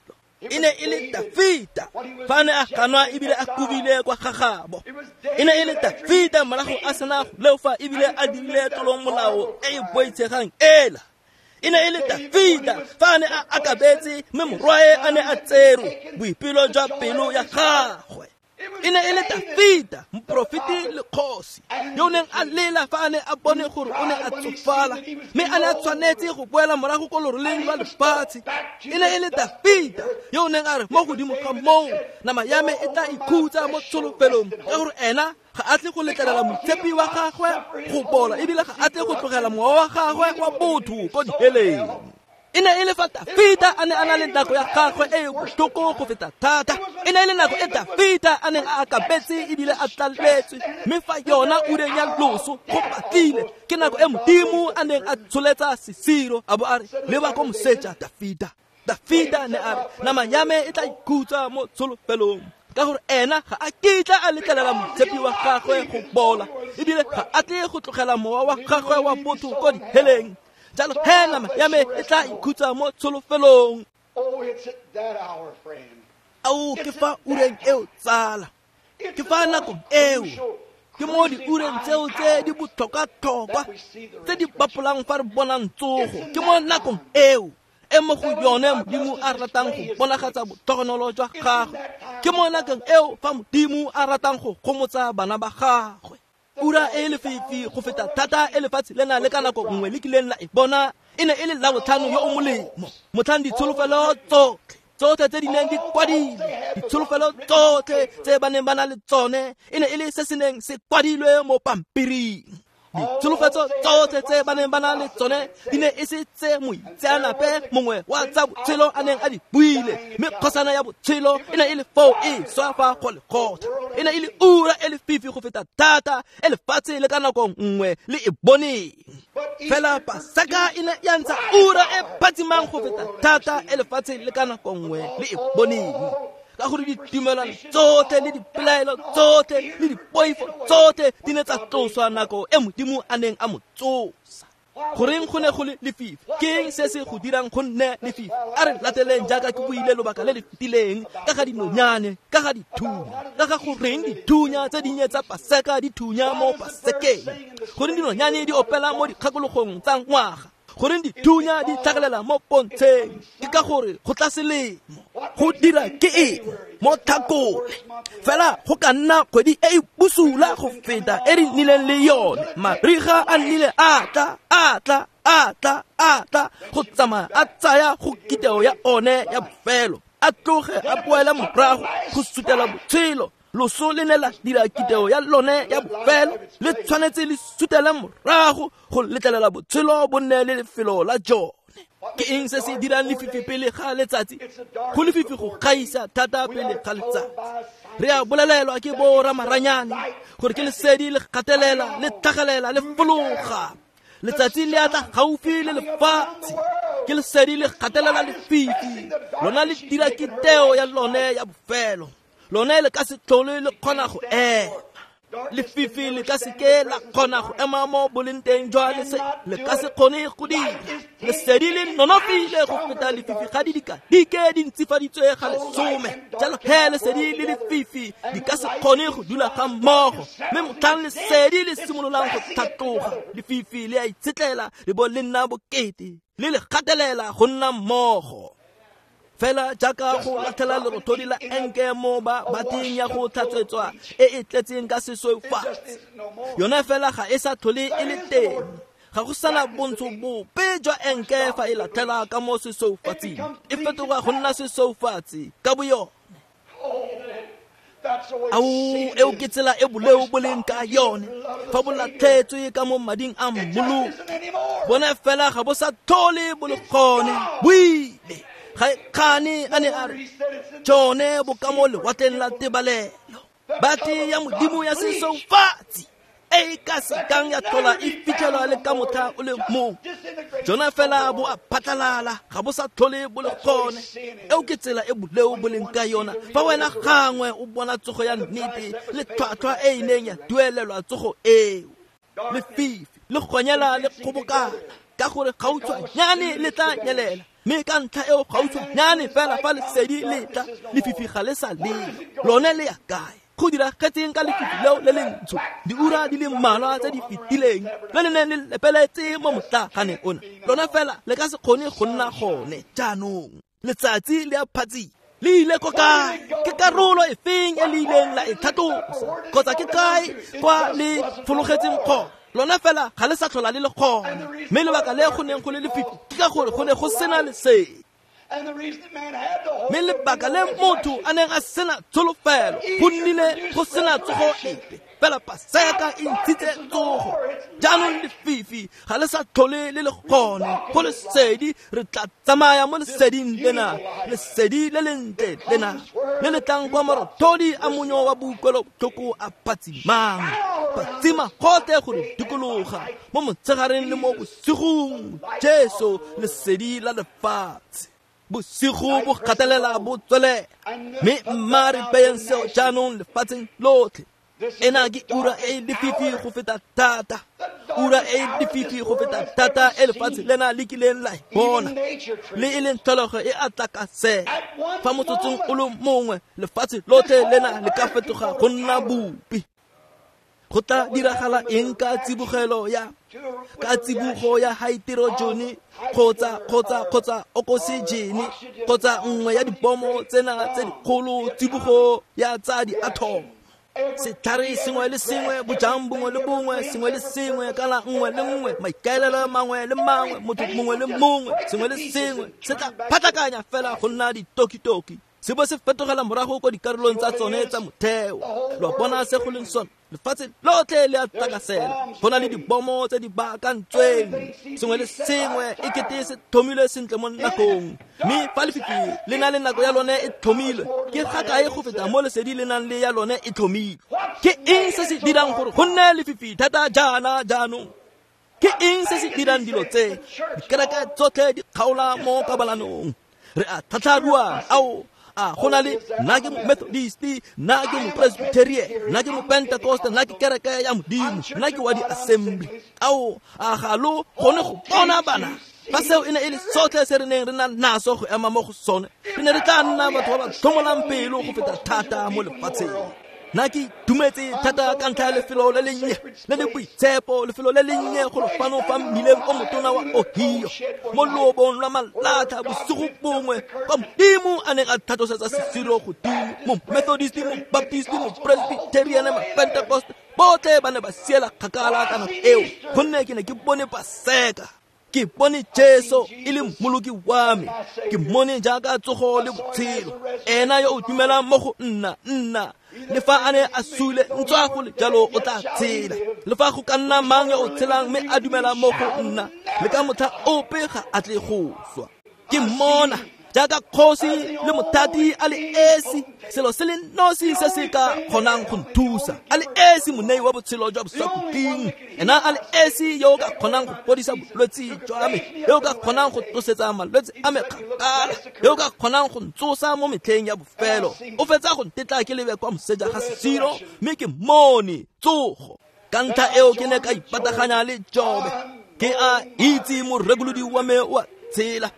A: E ne e le Dafita fa a ne a ganwa ebile a kobile kwa gagabo. E ne e le Dafita morago a sena go leofa ebile a dirile tlolomolao e e boitshegang ela. E ne e le Dafita fa a ne a akabetse mme morwae a ne a tserwe boipelo jwa pelo ya gagwe. E ne e le Dafita, moporofeti le kgosi, yo o neng a lela fa a ne a bone gore o ne a tsofala, mme a ne a tshwanetse go boela morago ko loroleng lwa lefatshe. E ne e le Dafita yo o neng a re mo godimo ga moo, nama ya me e tla ikhutsa mo tsholofelong, ka gore ena ga a tle go letlelela moitshepi wa gagwe go bola, ebile ga a tle go tlogela mowa wa gagwe wa botho ko diheleng. E ne e le fa Dafita a ne a na le nako ya gagwe e e botlhoko go feta thata. E ne e le nako e Dafita a neng a akabetse ebile a tlaletswe, mme fa yona ureng ya loso go batlile, ke nako e Modimo a neng a tsholetsa sesiro a bo a re, leba ko moseja Dafita. Dafita ne a re, nama ya me e tla ikhutsa mo tsholofelong, ka gore ena ga a kitla a letlelela moitshepi wa gagwe go bola, ebile ga a tle go tlogela mowa wa gagwe wa botho ko diheleng. Jalo he nama ya me e tla ikhutsa mo tsholofelong. Ao, ke fa ureng eo tsala, ke fa nakong eo, ke mo diureng tseo tse di botlhokwa-tlhokwa tse di bapolang fa re bonang tsogo. Ke mo nakong eo e mo go yone Modimo a ratang go bonagatsa botlhogonolo jwa gagwe. Ke mo nakong eo fa Modimo a ratang go gomotsa bana ba gagwe. Ura e lefifi go feta thata e lefatshe lena le ka nako nngwe le kileng la e bona, e ne e le Labotlhano yo o molemo, motlhang ditsholofelo tsotlhe tsotlhe tse di neng di kwadilwe, ditsholofelo tsotlhe tse ba neng ba na le tsone, e ne e le se se neng se kwadilwe mo pampiring. Ditsholofetso tsotlhe tse ba neng ba na le tsone di ne e se tse moitseanape mongwe wa tsa botshelo a neng a di buile, mme kgosana ya botshelo e ne e le foo e swa fa go lekgotla. E ne e le ura e lefifi go feta thata e lefatshe le ka nako nngwe le e boneng. Fela Paseka e ne ya ntsha ura e phatsimang go feta thata e lefatshe le ka nako nngwe le e boneng, ka gore ditumelano tsotlhe le dipelaelo tsotlhe le dipoifo tsotlhe di ne tsa tloswa nako e Modimo a neng a mo tsosa. Goreng go ne go le lefifi? Ke eng se se go dirang go nne lefifi? A re lateleng jaaka ke buile lobaka le le fetileng ka ga dinonyane, ka ga dithunya, ka ga goreng dithunya tse dinnye tsa Paseka di thunya mo Pasekeng, goreng dinonyane di opela mo dikgakologong tsa ngwaga, goreng dithunya di tlhagelela mo pontsheng. Ke ka gore go tla selemo. Go dira ke eng mo Tlhakole? Fela go ka nna kgwedi e e bosula go feta e re nnileng le yone. Mariga a nnile a tla, a tla, a tla, a tla, go tsamaya a tsaya go kiteo ya one ya bofelo, a tloge a boele morago go sutela botshelo. Loso le ne la dira kiteo ya lone ya bofelo, le tshwanetse le sutele morago go letlelela botshelo bo nne le lefelo la jone. Ke eng se se dirang lefifi pele ga letsatsi? Go lefifi go gaisa thata pele ga letsatsi. Re a bolelelwa ke bo ramaranyane gore ke lesedi le gatelela, le tlhagelela, le fologa. Letsatsi le atla gaufi le lefatshe, ke lesedi le gatelela lefifi. Lona le dira kiteo ya lone ya bofelo, lone le ka se tlhole le kgona go ema. Lefifi le ka seke la kgona go ema mo boleng jwa lesedi, le ka se kgone go dira. Lesedi le nonofile go feta lefifi ga di dikadike di ntsifaditswe ga lesome. Jalo he lesedi le lefifi di ka se kgone go dula ga mmogo. Mme motlhang lesedi le simololang go tlhatloga, lefifi le a itshetlela le bo le nna bokete, le le gatelela go nna mmogo. Fela jaaka go latlhela lerothodi la enke mo ba bateng ya go tlhatswetswa e e tletseng ka sesweufatsi, yone fela ga e sa tlhole e le teng. Ga go sana bontsho bope jwa enke fa e latlhela ka mo sesweufatsing, e fetoga go nna sesweufatsi ka boyone. Ao, eo ke tsela e boleo bo leng ka yone fa bo latlhetswe ka mo mading a mmoloki. Bone fela ga bo sa tlhole bo le gone, bo ile. Ga e kgane a ne a re tsone bo ka mo lewatleng la tebalelo. Bate ya Modimo ya sesweufatsi e e ka sekang ya tlhola e fitlhelwa le ka motlha o le mongwe. Jona fela bo a phatlalala, ga bo sa tlhole bo le gone. Eo ke tsela e boleo bo leng ka yona fa wena gangwe o bona tsogo ya nnete le tlhwatlhwa e e neng ya duelelwa tsogo eo. Lefifi le gonyela le kgobokana ka gore gautshwanyane le tla nyelela, mme ka ntlha eo gautshwanyane fela fa lesedi le tla, lefifi ga le sa leo. Lone le ya kae? Go diragetseng ka lefifi leo le lentsho diura di le mmalwa tse di fetileng le le neng le lepeletse mo motlaganeng ona? Lona fela le ka se kgone go nna gone jaanong. Letsatsi le a phatsima, le ile ko kae? Ke karolo e feng e le ileng la e tlhatlosa, kgotsa ke kae kwa le fologetseng gone? Lona fela ga le sa tlhola le le gone. Mme lebaka le go neng go le lefifi ke ka gore go ne go sena lesedi. Mme lebaka le motho a neng a sena tsholofelo go nnile go sena tsogo epe, fela Paseka e ntshitse tsogo. Jaanong lefifi ga le sa tlhole le le gone, go lesedi. Re tla tsamaya mo leseding lena, lesedi le lentle lena le le tlang kwa marothodi a monyo wa boutlwelobotlhoko a phatsimang, phatsima gotlhe go re dikologa mo motshegareng le mo bosigong. Jesu lesedi la lefatshe. Bosigo bo gatelela bo tswelela, mme mma re beyeng seo jaanong lefatsheng lotlhe. Ena ke ura e lefifi go feta thata, ura e lefifi go feta thata e lefatshe lena le kileng la e bona, le e leng tlholego e a tlakasela. Fa motsotsong o le mongwe lefatshe lotlhe lena le ka fetoga go nna bopi. Go tla diragala eng ka tsibogelo ya ka tsibogo ya haeterojene kgotsa kgotsa kgotsa okosejene kgotsa nngwe ya dibomo tsena tse dikgolo, tsibogo ya tsa diathomo? Setlhare sengwe le sengwe, bojang bongwe le bongwe, sengwe le sengwe, kala nngwe le nngwe, maikaelelo mangwe le mangwe, motho mongwe le mongwe, sengwe le sengwe se tla phatlakanya fela go nna ditokitoki, se bo se fetogela morago ko dikarolong tsa tsone tsa motheo. Lo bona se go leng sone? Lefatshe lotlhe le a tlakasela. Go na le dibomo tse di baakantsweng, sengwe le sengwe e kete se tlhomilwe sentle mo nakong. Mme fa lefifi le na le nako ya lone e tlhomilwe, ke ga kae go feta mo lesedi le nang le ya lone e tlhomilwe? Ke eng se se dirang gore go nne lefifi thata jaana jaanong? Ke eng se se dirang dilo tse? Dikereke tsotlhe di kgaola mo kabalanong. Re a tlhatlharuana, ao a go na le nna ke Methodist, nna ke Mopresbyterian, nna ke Mopentecost, nna ke kereke ya Modimo, nna ke wa di-assembly. Ao, a ga lo kgone go bona bana? Fa seo e ne e le sotlhe se re neng re na naso go ema mo go sone, re ne re tla nna batho ba ba tlhomolang pelo go feta thata mo lefatsheng. Nna ke itumetse thata ka ntlha ya lefelo le lennye le le boitshepo, lefelo le lennye go fano fa mmileng o motona wa Ohio, mo loobong lwa malatlha bosigo bongwe kwa Modimo a neng a tlhatlosetsa sesiro godimo. Mo Methodist, mo Baptist, mo Presbyterian, mo Pentecost, botlhe ba ne ba siela kgakala ka nako eo, gonne ke ne ke bone Paseka. Ke bone Jesu e le mmoloki wa me, ke mmone jaaka tsogo le botshelo. Ena yo o dumelang mo go nna, nna le fa a ne a sule, ntswa go le jalo o tla tshela. Le fa go ka nna mang yo o tshelang mme a dumela mo go nna, le ka motlha ope ga a tle go swa. Ke mmona Jaaka kgosi le mothati a le esi, selo se le nosi se se ka kgonang go nthusa, a le esi monei wa botshelo jwa bosakhutleng, ena a le esi yo o ka kgonang go fodisa bolwetse jwa me, yo o ka kgonang go tlosetsa malwetse a me kgakala, yo o ka kgonang go ntsosa mo metlheng ya bofelo. O fetsa go ntetla ke lebe kwa moseja ga sesiro, mme ke mone tsogo. Ka ntlha eo ke ne ka ipataganya le Jobe, ke a itse morekolodi wa me o a tshela.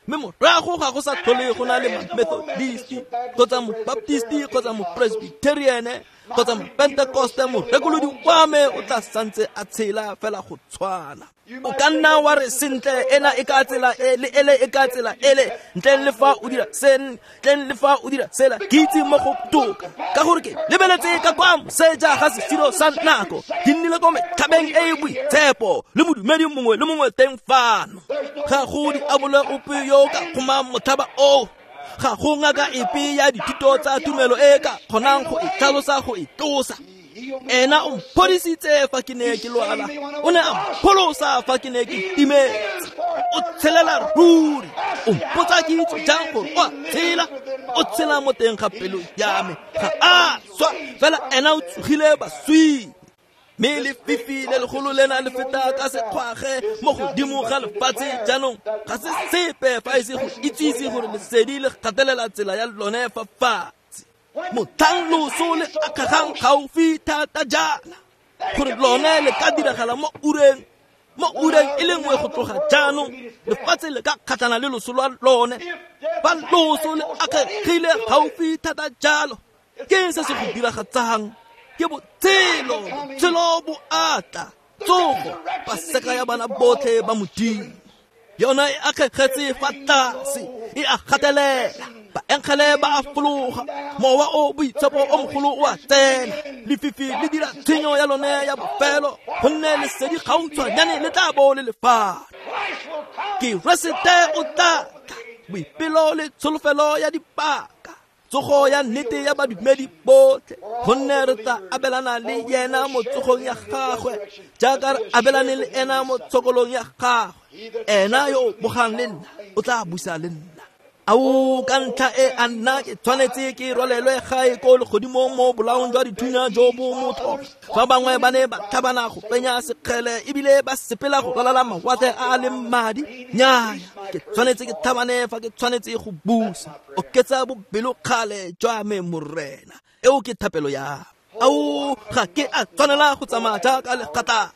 A: Mme morago ga go sa tlhole go na le Methodisti kgotsa Mobaptisti kgotsa Mopresbyteriane kgotsa Mopentekoste, morekolodi wa me o tla santse a tshela fela go tshwana. O ka nna wa re sentle ena e ka tsela e le ele e ka tsela ele, ntleng le fa o dira se, ntleng le fa o dira sela, ke itse mo go toka, ka gore ke lebeletse ka kwa moseja ga sesiro sa nako, ke nnile ko metlhabeng e e boitshepo le modumedi mongwe le mongwe teng fano. Ga go diabolo ope yo ka kgomang motlhaba oo, ga go ngaka epe ya dithuto tsa tumelo e ka kgonang go e tlhalosa go e tlosa. Ena o mphodisitse fa ke ne ke lwala, o ne a mpholosa fa ke ne ke timetse. O tshelela ruri, o mpotsa ke itse jang gore o a tshela, o tshela mo teng ga pelo ya me, ga a swa, fela ena o tsogile baswing. Mme lefifi le legolo lena le feta ka sekgwage mo godimo ga lefatshe jaanong, ga se sepe fa e se go itsise gore lesedi le gatelela tsela ya lone fa fatshe. Motlhang loso le akgegang gaufi thata jaana, gore lone le ka diragala mo ureng, mo ureng e le nngwe go tloga jaanong, lefatshe le ka kgatlhana le loso lwa lone. Fa loso le akgegile gaufi thata jalo, ke eng se se go diragatsang? Ke botshelo, botshelo bo atla, tsogo, paseka ya bana botlhe ba Modimo. Yona e akgegetse fa tlase, e a gatelela, baengele ba a fologa, mowa o boitshepo o mogolo o a tsena, lefifi le dira tshenyo ya lone ya bofelo, gonne lesedi gautshwanyane le tla bo le lefana. Keresete o tla tla, boipelo le tsholofelo ya dipaka, tsogo ya nnete ya badumedi botlhe, gonne re tla abelana le yena mo tsogong ya gagwe, jaaka re abelane le ena mo tshokolong ya gagwe. Ena yo o bogang le nna o tla busa le nna. Ao, ka ntlha e a nna ke tshwanetse ke rwalelwe gae ko legodimong mo bolaong jwa dithunya jo bo motho. Fa bangwe ba ne ba tlhabana go penya sekgele ebile ba sepela go ralala mawatle a a leng madi, nnyaya, ke tshwanetse ke tlhabane fa ke tshwanetse go busa. Oketsa bobelokgale jwa me, Morena. Eo ke thapelo ya me. Ao, ga ke a tshwanela go tsamaya jaaka legatlapa,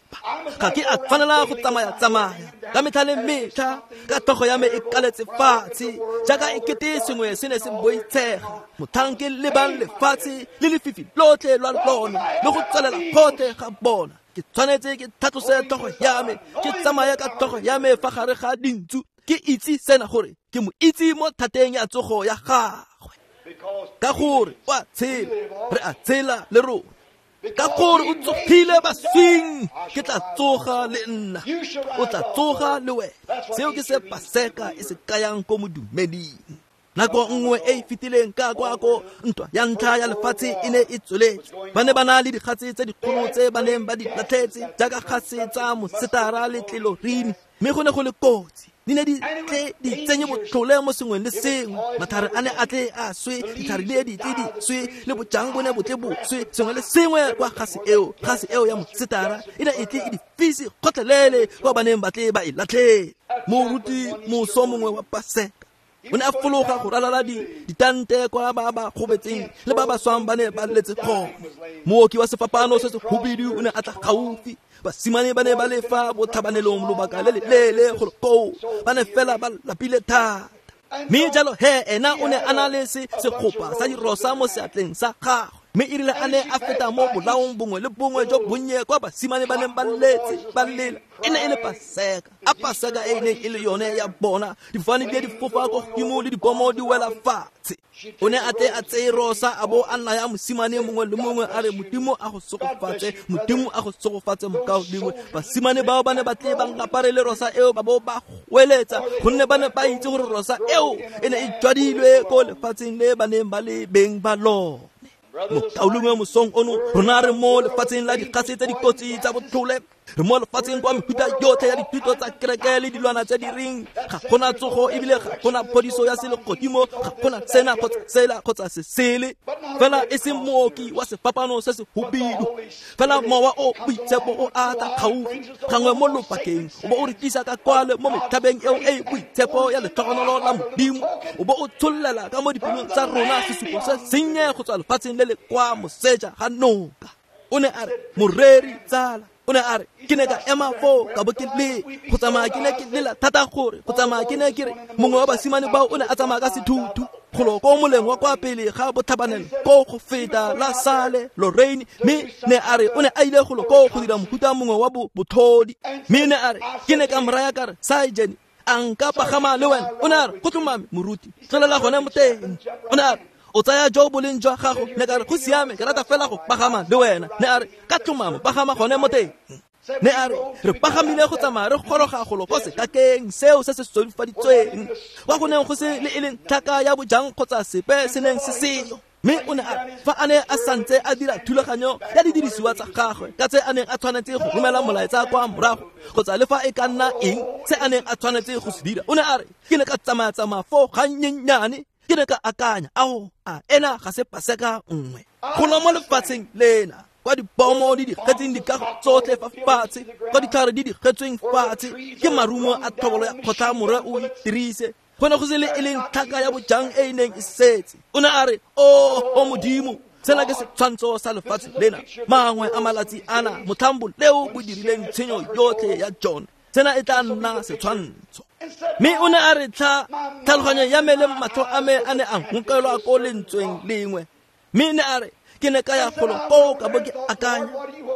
A: ga ke a tshwanela go tsamaya-tsamaya ka metlha le metlha, ka tlhogo ya me e kaletse fatshe jaaka e kete sengwe se ne se boitshega. Motlhang ke lebang lefatshe le lefifi lotlhe lwa lone le go tswelela gotlhe ga bona, ke tshwanetse ke tlhatlose tlhogo ya me, ke tsamaye ka tlhogo ya me fa gare ga dintsu, ke itse sena gore ke mo itse mo thateng ya tsogo ya gagwe. Ka gore o a tshela, re a tshela le rona. Ka gore o tsogile baswing, ke tla tsoga le nna, o tla tsoga le wena. Seo ke se paseka e se kayang ko modumeding. Nako nngwe e e fetileng ka kwa ko ntwa ya ntlha ya lefatshe e ne e tsweletse, ba ne ba na le dikgatse tse dikgolo tse ba neng ba di latlhetse jaaka kgase tsa mosetara le tlelorini, mme go ne go le kotsi. Di ne di tle di tsenye botlhole mo sengweng le sengwe, matlhare a ne a tle a swe, ditlhare di di tle di swe, le bojang bo ne bo tle bo swe, sengwe le sengwe kwa gase eo, gase eo ya mosetara e ne e tle e di fise gotlhelele kwa ba neng ba tle ba e latlhele. Moruti moso mongwe wa paseka o ne a fologa go ralala ditante kwa ba ba gobetseng le ba ba swang ba ne ba letse gone. Mooki wa sefapano se se hubidu o ne a tla gaufi. Basimane ba ne ba le fa botlhabanelong lobaka le le leele golo koo, ba ne fela ba lapile thata. Mme jalo he ena o ne a na le se segopa sa dirosa mo seatleng sa gagwe, mme e rile a ne a feta mo bolaong bongwe le bongwe jo bonnye kwa basimane ba neng ba letse ba lela. E ne e le paseka, a paseka e neng e le yone ya bona, difofane di di fofa ko godimo le dibomo di wela fatshe. O ne a tle a tseye rosa a bo a naya mosimane mongwe le mongwe a re, Modimo a go segofatse, Modimo a go segofatse mokaulengwe. Basimane bao ba ne ba tle ba ngaparele rosa eo ba bo ba goeletsa, gonne ba ne ba itse gore rosa eo e ne e jwadilwe ko lefatsheng le ba neng ba le beng ba lone. Mokaulengwe mosong ono rona re mo lefatsheng la dikgase tse dikotsi tsa botlhole. Re mo lefatsheng kwa mefuta yotlhe ya dithuto tsa kereke le dilwana tse di reng ga gona tsogo ebile ga gona phodiso ya selegodimo, ga gona sena kgotsa sela kgotsa se sele. Fela e seng mooki wa sefapano se se hubidu, fela mowa o boitshepo o ata gaufi gangwe mo lobakeng, o bo o re tlisa ka kwale mo metlhabeng eo e boitshepo ya letlhogonolo la Modimo, o bo o tshollela ka mo dipelong tsa rona sesupo se sennye go tswa lefatsheng le le kwa moseja ga noka. O ne a re, moreri tsala, o ne a re, ke ne ka ema foo ka bo ke le go tsamaya ke ne ke lela thata gore go tsamaya ke ne ke re mongwe wa basimane bao o ne a tsamaya ka sethuthu golo ko moleng wa kwa pele ga botlhabanelo ko go feta la Sale Lorraine, mme ne a re o ne a ile golo ko go dira mohuta mongwe wa botlhodi. Mme ne a re ke ne ka mo raya ka re, Sergeant, a nka pagama le wena? O ne a re, go tlhomame moruti, tlolela gone mo teng. O ne a re, o tsaya jo boleng jwa gago? Ne ka re, go siame, ke rata fela go pagama le wena. Ne a re, ka tlhomamo pagama gone mo teng. Ne a re, re pagamile go tsamaya re goroga golo ko sekakeng seo se se solofaditsweng, kwa go neng go se le e leng tlhaka ya bojang kgotsa sepe se neng se seyo. Mme o ne a re, fa a ne a santse a dira thulaganyo ya didirisiwa tsa gagwe ka tse a neng a tshwanetse go romela molaetsa kwa morago kgotsa le fa e ka nna eng se a neng a tshwanetse go se dira, o ne a re, ke ne ka tsamaya-tsamaya foo gannyennyane, ke ne ka akanya, ao, a ena ga se paseka nngwe golo mo lefatsheng lena, kwa dibomo di digetseng dikago tsotlhe fa fatshe, kwa ditlhare di digetsweng fatshe ke marumo a tlhobolo ya kgotla more o itirise, go ne go se le e leng tlhaka ya bojang e e neng e setse. O ne a re, o o Modimo, sena ke setshwantsho sa lefatshe lena, mangwe a malatsi ana motlhambo leo bo dirileng tshenyo yotlhe ya jone, sena e tla nna setshwantsho. Mme o ne a re, tlha tlhaloganyo ya me le matlho a me a ne a nkokelwa ko lentsweng lengwe. Mme ne a re, ke ne ka ya golo koo ka bo ke akanya,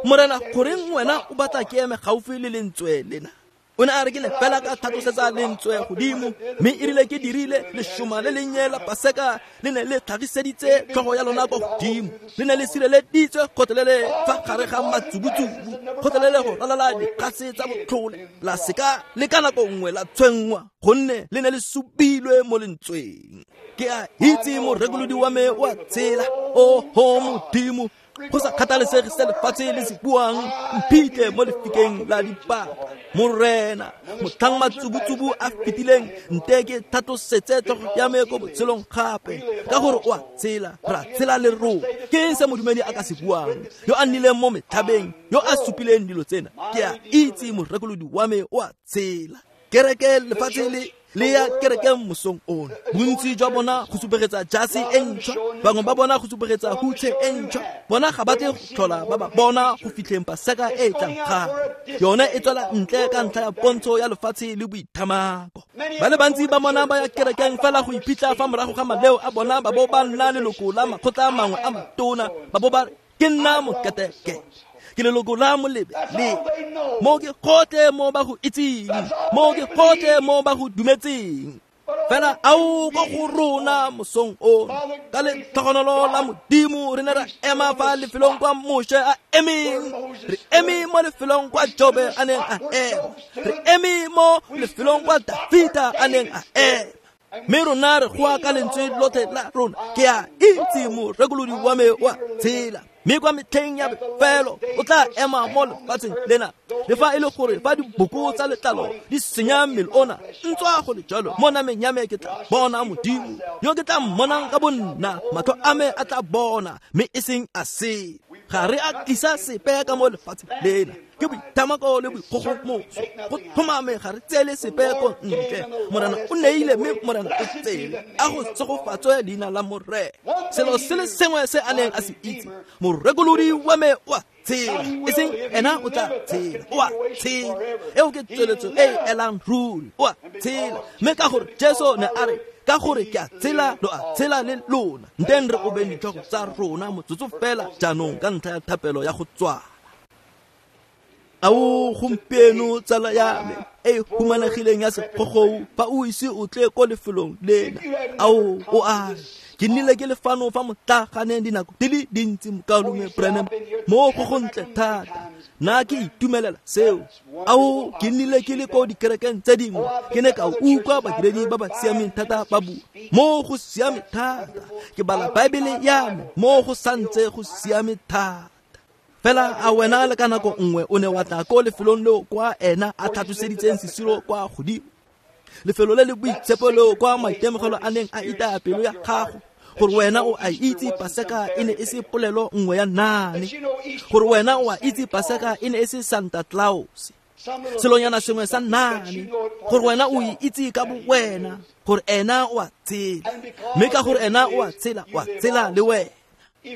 A: Morena, goreng wena o batla ke eme gaufi le lentswe lena? O ne a re, ke ne fela ka tlhatlosetsa lentswe godimo, mme e rile ke dirile lešoma le lennye la paseka le ne le tlhagiseditse tlhogo ya lona kwa godimo, le ne le sireleditswe kgotlelele fa gare ga matsubutsubu, kgotlelele go ralala dikgase tsa botlhole, la seka le ka nako nngwe la tshwenngwa, gonne le ne le subilwe mo lentsweng. Ke a itse morekolodi wa me o a tshela, oho Modimo, go sa kgathalesege se lefatshe le se buang, mphitlhe mo lefikeng la dipaka. Morena, motlhang matsubutsubu a fetileng, nte ke tlhatlosetse tlhogo ya me ko botshelong gape, ka gore o a tshela, ra tshela le rona. Ke eng se modumedi a ka se buang, yo a nnileng mo metlhabeng, yo a supileng dilo tsena? Ke a itse morekolodi wa me o a tshela. Kereke lefatshe le le ya kerekeng mosong ono, bontsi jwa bona go supegetsa jase e ntšhwa, bangwe ba bona go supegetsa hutshe e ntšhwa, bona ga ba tle go tlhola ba ba bona go fitlheng paseka e e tlang gape. Yone e tswela ntle ka ntlha ya pontsho ya lefatshe le boithamako. Ba le bantsi ba bona ba ya kerekeng fela go iphitlha fa morago ga maleo a bona, ba bo ba nna leloko la makgotla a mangwe a matona, ba bo ba re, ke nna moketeke, ke leloko la molebe le mo ke gotlhe mo ba go itseng, mo ke gotlhe mo ba go dumetseng. Fela ao ko go rona mosong ono, ka letlhogonolo la Modimo re ne ra ema fa lefelong kwa Moshe a emeng, re eme mo lefelong kwa Jobe a neng a ema, re eme mo lefelong kwa Dafita a neng a ema. Mme rona re goa ka lentswe lotlhe la rona, ke a itse morekolodi wa me wa tshela, mme kwa metlheng ya bofelo o tla ema mo lefatsheng lena. Le fa e le gore fa diboko tsa letlalo di senya mmele ona, ntswa go le jalo mo nameng ya me ke tla bona Modimo, yo ke tla mmonang ka bonna, matlho a me a tla bona, mme e seng a se. Ga re a tlisa sepe ka mo lefatsheng lena, ke boithamako le boikgogomoso, go tlhomame ga re tseele sepe ko ntle. Morena o neile mme Morena o tseele, a go tsegofatswe leina la Morena. Selo se le sengwe se a neng a se itse, morekolodi wa me o a tshela, e seng ena o tla tshela, o a tshela. Eo ke tsweletso e e elang ruri, o a tshela. Mme ka gore Jesu ne a re, ka gore ke a tshela, lo a tshela le lona. Nteng re obeng ditlhogo tsa rona motsotso fela jaanong ka ntlha ya thapelo ya go tswala. Ao gompieno tsala ya me e humanegileng ya segogou, fa o ise o tle ko lefelong lena, ao o a re, ke nnile ke le fano fa motlaganeng dinako di le dintsi, mokaulengwe Branham, mo go gontle thata, nna ke itumelela seo. Ao ke nnile ke le ko dikerekeng tse dingwe, ke ne ka utlwa badiredi ba ba siameng thata ba bua, mo go siame thata. Ke bala Baebele ya me, mo go santse go siame thata. Fela a wena le ka nako nngwe o ne wa tla ko lefelong leo kwa ena a tlhatloseditseng sesiro kwa godimo, lefelo le le boitshepo leo kwa maitemogelo a neng a itaya pelo ya gago, gore wena o a itse Paseka e ne e se polelo nngwe ya naane, gore wena o a itse Paseka e ne e se Santa Claus, selonyana sengwe sa naane, gore wena o e itse ka bo wena, gore ena o a tshela, mme ka gore ena o a tshela, o a tshela le wena.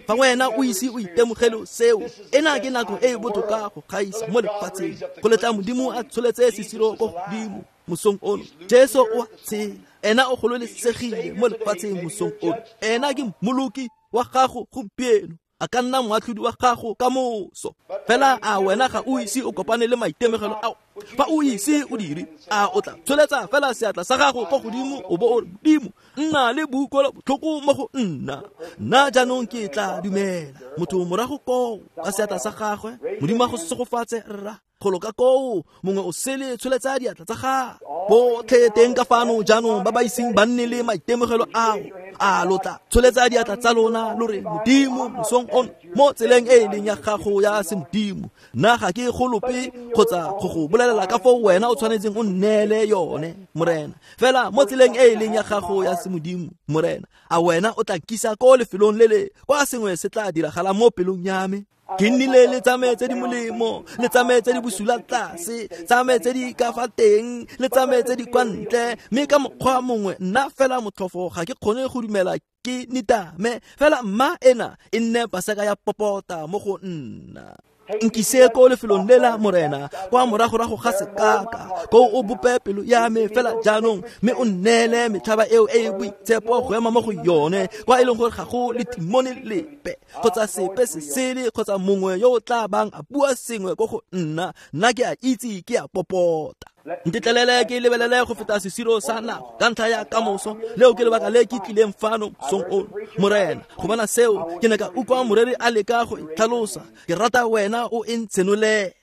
A: Fa wena o ise o itemogele seo, ena ke nako e e botoka go gaisa mo lefatsheng, go letla Modimo a tsholetse sesiro ko godimo mosong ono. Jesu o a tshela, ena o gololesegile mo lefatsheng mosong ono. Ena ke mmoloki wa gago gompieno, a ka nna moatlhodi wa gago ka moso. Fela a wena ga o ise o kopane le maitemogelo ao? Fa o ise o dire, a o tla tsholetsa fela seatla sa gago ko godimo o bo o re, Modimo, nna le boutlwelo botlhoko mo go nna, nna jaanong ke tla dumela. Motho morago koo ka seatla sa gagwe, Modimo a go segofatse rra. Golo ka koo mongwe o sele tsholetsa diatla tsa gagwe. Botlhe teng ka fano jaanong ba ba iseng ba nne le maitemogelo ao, a lo tla tsholetsa diatla tsa lona lo re, Modimo, mosong ono mo tseleng e e leng ya gago ya semodimo, nna ga ke golope kgotsa go go bolelela ka foo wena o tshwanetseng o nneele yone, Morena. Fela mo tseleng e e leng ya gago ya semodimo, Morena, a wena o tla nkisa ko lefelong le le kwa sengwe se tla diragala mo pelong ya me. Ke nnile le tsa me tse di molemo, le tsa me tse di bosula tlase, tsa me tse di ka fa teng, le tsa me tse di kwa ntle, mme ka mokgwa mongwe nna fela motlhofo ga ke kgone go dumela ke nitame. Fela mma ena e nne Paseka ya popota mo go nna. Nkise ko lefelong lela, Morena, kwa moragorago ga sekaka, ko o bope pelo ya me fela jaanong, mme o nneele metlhaba eo e e boitshepo go ema mo go yone, kwa e leng gore ga go le timone lepe kgotsa sepe se sele kgotsa mongwe yo o tla bang a bua sengwe ko go nna, nna ke a itse ke a popota. Ntetlelele ke lebelele go feta sesiro sa nako ka ntlha ya kamoso, leo ke lebaka le ke tlileng fano mosong ono, Morena. Go bona seo ke ne ka utlwa moreri a leka go itlhalosa. Ke rata wena o e ntshenolele.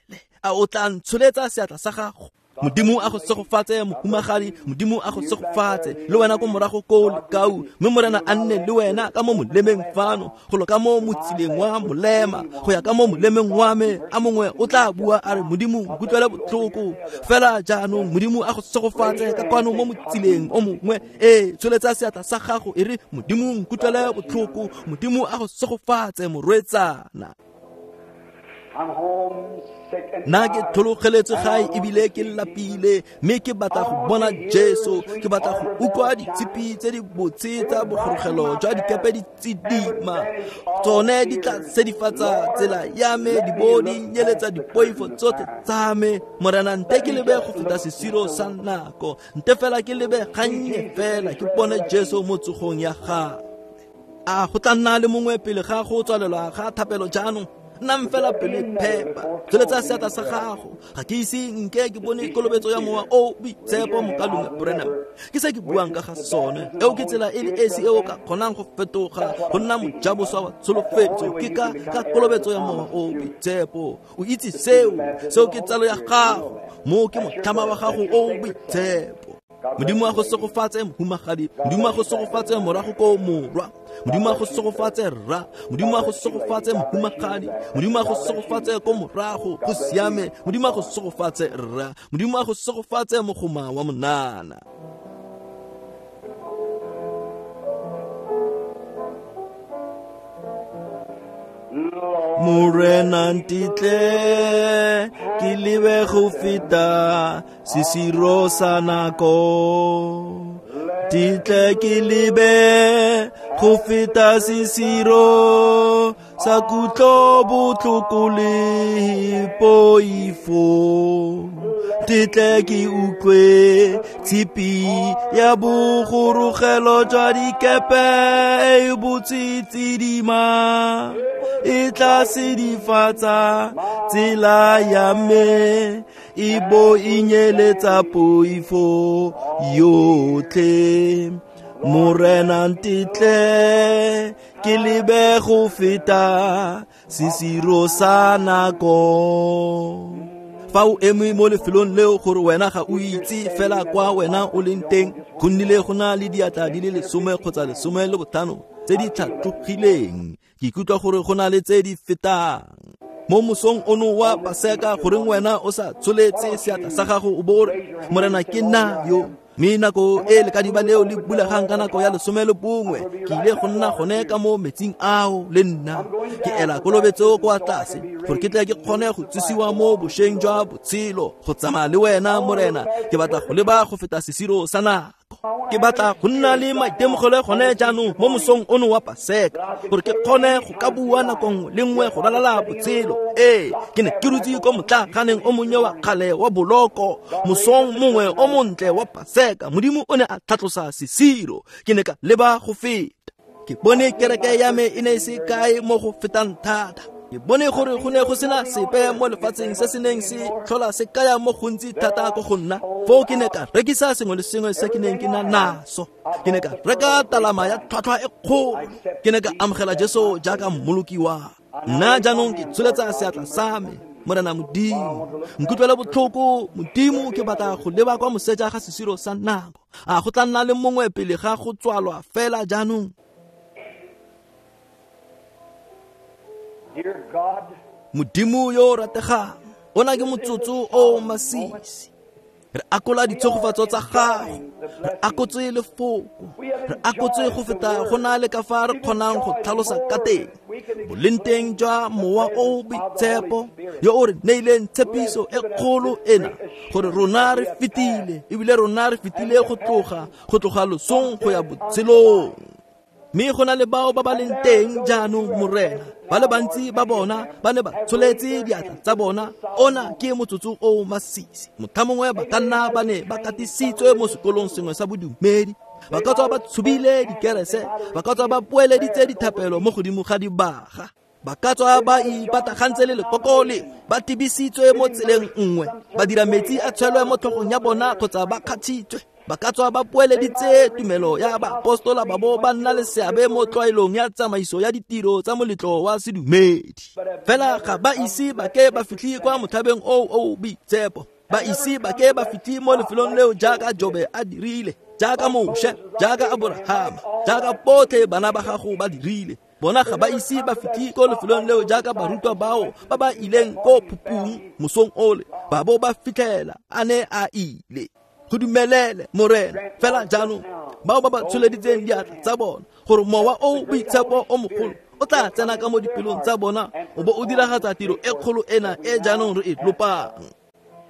A: A o tla ntsholetsa seatla sa gago? Modimo a go segofatse mohumagadi, Modimo a go segofatse le wena ko morago ko lekau, mme Morena a nne le wena ka mo molemeng fano, golo ka mo motsileng wa molema, go ya ka mo molemeng wa me. A mongwe o tla bua a re, Modimo nkutlwele botlhoko. Fela jaanong Modimo a go segofatse ka kwano mo motsileng o mongwe. Ee, tsholetsa seatla sa gago e re, Modimo nkutlwele botlhoko. Modimo a go segofatse morwetsana. Nna ke tlhologeletswe gae ebile ke lapile, mme ke batla go bona Jesu, ke batla go utlwa ditshipi tse di botse tsa bogorogelo jwa dikepe di tsidima. Tsone di tla sedifatsa tsela ya me, di bo di nyeletsa dipoifo tsotlhe tsa me. Morena, nte ke lebe go feta sesiro sa nako, nte fela ke lebe gannye fela ke bone Jesu mo tsogong ya gagwe. A go tla nna le mongwe pele ga go tswalelwa ga thapelo jaanong? Nnang fela pelo phepa, tsholetsa seatla sa gago. Ga ke ise nke ke bone kolobetso ya Mowa o Boitshepo, mokalume Branham. Ke se ke buang ka ga sone. Eo ke tsela e le esi e o ka kgonang go fetoga go nna mojaboswa wa tsholofetso, ke ka ka kolobetso ya Mowa o Boitshepo. O itse seo, seo ke tsalo ya gago, mo ke motlhama wa gago o boitshepo. Modimo a go segofatse mohumagadi, Modimo a go segofatse morago ko morwa, Modimo a go segofatse rra, Modimo a go segofatse mohumagadi, Modimo a go segofatse ko morago, go siame, Modimo a go segofatse rra, Modimo a go segofatse mogoma wa monana. Morena ntitle ke lebe go feta sesiro sa nako, ntitle ke lebe go feta sesiro sa kutlo botlhoko le poifo, ntitle ke utlwe tshipi ya bogorogelo jwa dikepe e botse tsidima, e tla sedifatsa tsela ya me, e bo e nyeletsa poifo yotlhe. Morena ntitle ke lebe go feta sesiro sa nako. Fa o eme mo lefelong leo gore wena ga o itse fela kwa wena o leng teng, go nnile go na le diatla di le lesome kgotsa lesome le botlhano tse di tlhatlogileng. Ke ikutlwa gore go na le tse di fetang. Mo mosong ono wa Paseka, goreng wena o sa tsholetse seatla sa gago o bo o re, Morena ke nna yo. Mme nako e lekadiba leo le bulegang ka nako ya lesome le bongwe, ke ile go nna gone ka mo metsing ao le nna. Ke ela kolobetso kwa tlase gore ke tle ke kgone go tsosiwa mo bošweng jwa botshelo, go tsamaya le wena Morena. Ke batla go leba go feta sesiro sa nako. Ke batla go nna le maitemogelo gone jaanong mo mosong ono wa Paseka, gore ke kgone go ka bua nako nngwe le nngwe go ralala botshelo. Ee, ke ne ke dutse ko motlaganeng o monnye wa kgale wa boloko mosong mongwe o montle wa Paseka. Modimo o ne a tlhatlosa sesiro, ke ne ka leba go feta. Ke bone kereke ya me e ne e se kae mo go fetang thata. Ke bone gore go ne go sena sepe mo lefatsheng se se neng se tlhola se kaya mo gontsi thata ko go nna. Foo ke ne ka rekisa sengwe le sengwe se ke neng ke na naso. Ke ne ka reka talama ya tlhwatlhwa e kgolo. Ke ne ka amogela Jesu jaaka mmoloki wa nna. Jaanong ke tsholetsa seatla sa me, Morena Modimo, nkutlwele botlhoko Modimo, ke batla go leba kwa moseja ga sesiro sa nako. A go tla nna le mongwe pele ga go tswalwa fela jaanong? Modimo yo o rategang, ona ke motsotso o masisi. Re akola ditshegofatso tsa gago, re akotse lefoko, re akotse go feta go na le ka fa re kgonang go tlhalosa ka teng boleng jwa Mowa o Boitshepo yo o re neileng tshepiso e kgolo ena, gore rona re fetile, ebile rona re fetile go tloga go tloga losong go ya botshelong. Mme go na le bao ba ba leng teng jaanong Morena, ba le bantsi ba bona ba ne ba tsholetse diatla tsa bona. Ona ke motsotso o masisi. Motho mongwe ba ka nna ba ne ba katisitswe mo sekolong sengwe sa bodumedi, ba ka tswa ba tshubile dikerese, ba ka tswa ba poeleditse dithapelo mo godimo ga dibaga, ba ka tswa ba ipatagantse le lekoko lengwe, ba tibisitswe mo tseleng nngwe, ba dira metsi a tshwelwe mo tlhogong ya bona kgotsa ba kgatšhitswe. Ba ka tswa ba poeleditse tumelo ya baapostola ba bo ba nna le seabe mo tlwaelong ya tsamaiso ya ditiro tsa moletlo wa sedumedi. Fela ga ba ise ba ke ba fitlhe kwa motlhabeng o o boitshepo, ba ise ba ke ba fitlhe mo lefelong leo jaaka Jobe a dirile, jaaka Moshe, jaaka Aborahama, jaaka botlhe bana ba gago ba dirile. Bona ga ba ise ba fitlhe ko lefelong leo jaaka barutwa bao ba ba ileng ko phupung mosong ole, ba bo ba fitlhela a ne a ile. Go dumelele Morena fela jaanong bao ba ba tsholeditseng diatla tsa bona, gore Mowa o Boitshepo o mogolo o tla tsena ka mo dipelong tsa bona o bo o diragatsa tiro e kgolo ena e jaanong re e lopang.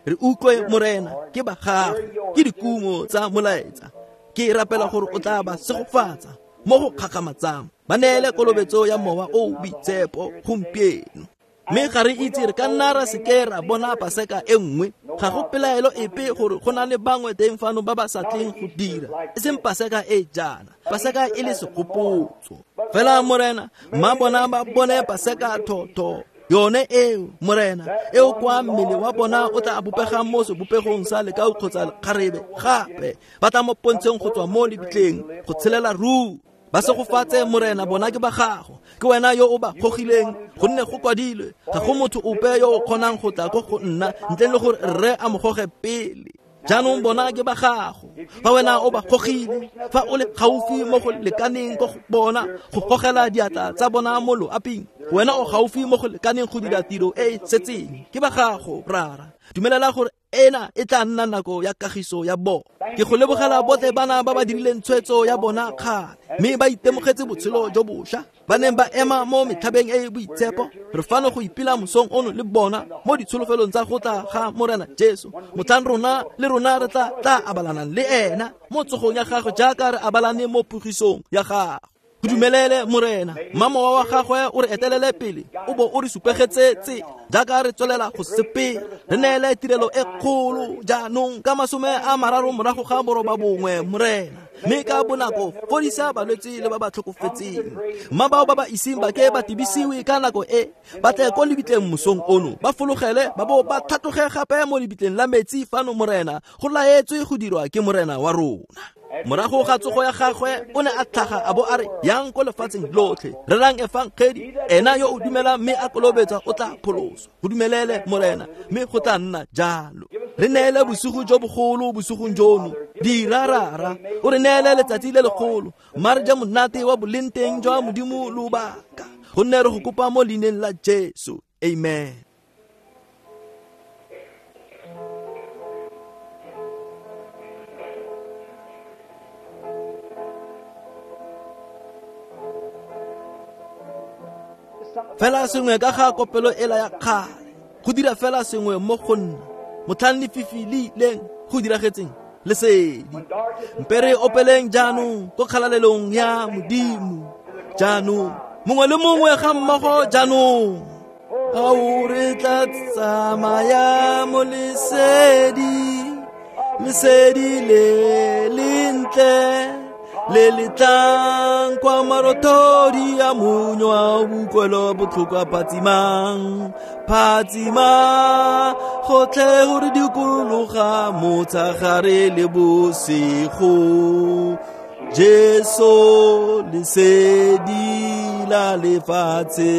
A: Re utlwe Morena, ke ba gago, ke dikumo tsa molaetsa. Ke rapela gore o tla ba segofatsa mo go kgakgamatsang, ba neele kolobetso ya Mowa o Boitshepo gompieno. Mme ga re itse re ka nna ra seke ra bona Paseka e nngwe. Ga go pelaelo epe gore go na le bangwe teng fano ba ba sa tleng go dira, e seng Paseka e jaana, Paseka e le segopotso. Fela Morena, mma bona ba bone Paseka thotho yone eo Morena, eo kwa mmele wa bona o tla bopegang mo sebopegong sa lekau kgotsa lekgarebe, gape ba tla mo pontsheng go tswa mo lebitleng go tshelela ruri. Ba segofatse Morena, bona ke ba gago, ke wena yo o ba gogileng, gonne go kwadilwe, ga go motho ope yo o kgonang go tla ko go nna ntle le gore rre a mo goge pele. Jaanong bona ke ba gago, fa wena o ba gogile, fa o le gaufi mo go lekaneng ko go bona go gogela diatla tsa bona mo loaping, wena o gaufi mo go lekaneng go dira tiro e e setseng. Ke ba gago Rara, dumelela gore ena e tla nna nako ya kagiso ya bona. Ke go lebogela botlhe bana ba ba dirileng tshwetso ya bona kgale, mme ba itemogetse botshelo jo bošwa, ba neng ba ema mo metlhabeng e e boitshepo. Re fano go ipela mosong ono le bona mo ditsholofelong tsa go tla ga Morena Jesu, motlhang rona le rona re tla tla abalanang le ena mo tsogong ya gagwe jaaka re abalane mo pogisong ya gagwe. Go dumelele Morena, mma mowa wa gagwe o re etelele pele, o bo o re supegetse tsela jaaka re tswelela go sepela. Re neele tirelo e kgolo jaanong ka masome a mararo morago ga boroba bongwe Morena, mme ka bonako fodisa balwetse le ba ba tlhokofetseng. Mma bao ba ba iseng ba ke ba tibisiwe ka nako e, ba tle ko lebitleng mosong ono, ba fologele ba bo ba tlhatloge gape mo lebitleng la metsi fano Morena, go laetswe go dirwa ke Morena wa rona. Morago ga tsogo ya gagwe o ne a tlhaga a bo a re, yang ko lefatsheng lotlhe, rerang efangedi, ena yo o dumelang mme a kolobetsa o tla pholoswa. Go dumelele Morena, mme go tla nna jalo. Re neele bosigo jo bogolo bosigong jono, dira Rara, o re neele letsatsi le legolo, mma re je monate wa boleng teng jwa Modimo lobaka, gonne re go kopa mo leineng la Jesu. Amen. Fela sengwe ka ga kopelo ela ya kgale, go dira fela sengwe mo go nna, motlhang lefifi le ileng go diragetseng lesedi. Mpe re opeleng jaanong ko kgalalelong ya Modimo. Jaanong mongwe le mongwe ga mmogo jaanong. Ao re tla tsamaya mo lesedi, lesedi le lentle le le tlang kwa marothodi a monyo a bokwelo botlhoko a phatsimang, phatsima gotlhe gore dikologa motshegare le bosigo. Jesu lesedi la lefatshe.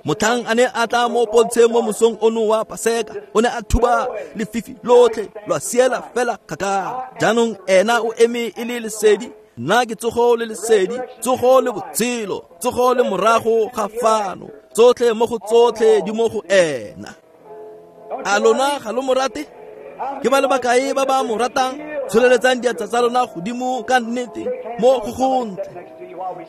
A: Motlhang a ne a tla mo pontsheng mo mosong ono wa Paseka, o ne a thuba lefifi lotlhe lwa siela fela kgakala. Jaanong ena o eme e le lesedi, nna ke tsogo le lesedi, tsogo le botshelo, tsogo le morago ga fano, tsotlhe mo go tsotlhe di mo go ena. A lona ga lo mo rate? Ke ba le bakae ba ba mo ratang? Tsholeletsang diatla tsa lona godimo ka nnete mo go gontle.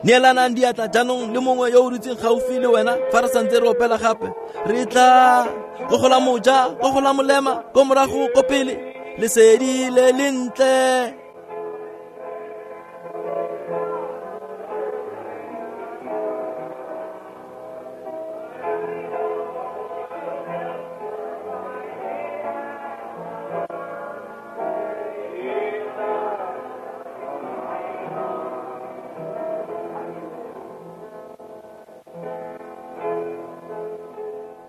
A: Neelanang diatla jaanong le mongwe yo o dutseng gaufi le wena fa re santse re opela gape. Re tla ko go la moja, ko go la molema, ko morago, ko pele, lesedi le lentle.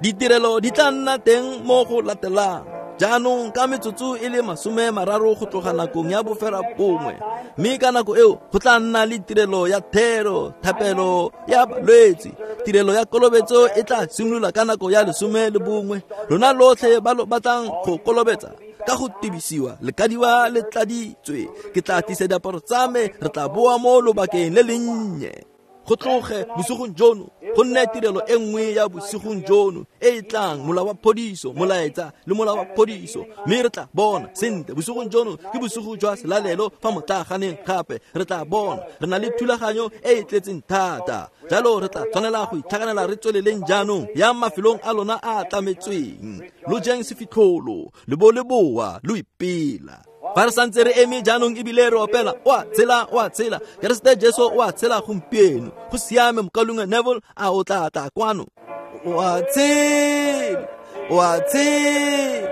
A: Ditirelo di tla nna teng mo go latelang jaanong ka metsotso e le masome mararo go tloga nakong ya bofera bongwe, mme ka nako eo go tla nna le tirelo ya thero, thapelo ya balwetse. Tirelo ya kolobetso e tla simolola ka nako ya lesome le bongwe. Lona lotlhe ba lo batlang go kolobetsa ka go tibisiwa le kadiwa le tladitswe, ke tla tlisa diaparo tsa me, re tla boa mo lobakeng le lennye. Go tloge bosigong jono go nne tirelo e nngwe ya bosigong jono e e tlang, mola wa phodiso, molaetsa le mola wa phodiso, mme re tla bona sentle bosigong jono ke bosigo jwa selalelo fa motlaganeng gape re tla bona re na le thulaganyo e e tletseng thata. Jalo re tla tshwanela go itlhaganela re tsweleleng jaanong ya mafelong a lona a a tlametsweng, lo jeng sefitlholo le bo le boa lo ipela. Fa re santse re eme jaanong ebile re opela, o a tshela, o a tshela, Keresete Jesu o a tshela gompieno. Go siame mokaulengwe Neville, a o tla tla kwano? O a tshela, o a tshela,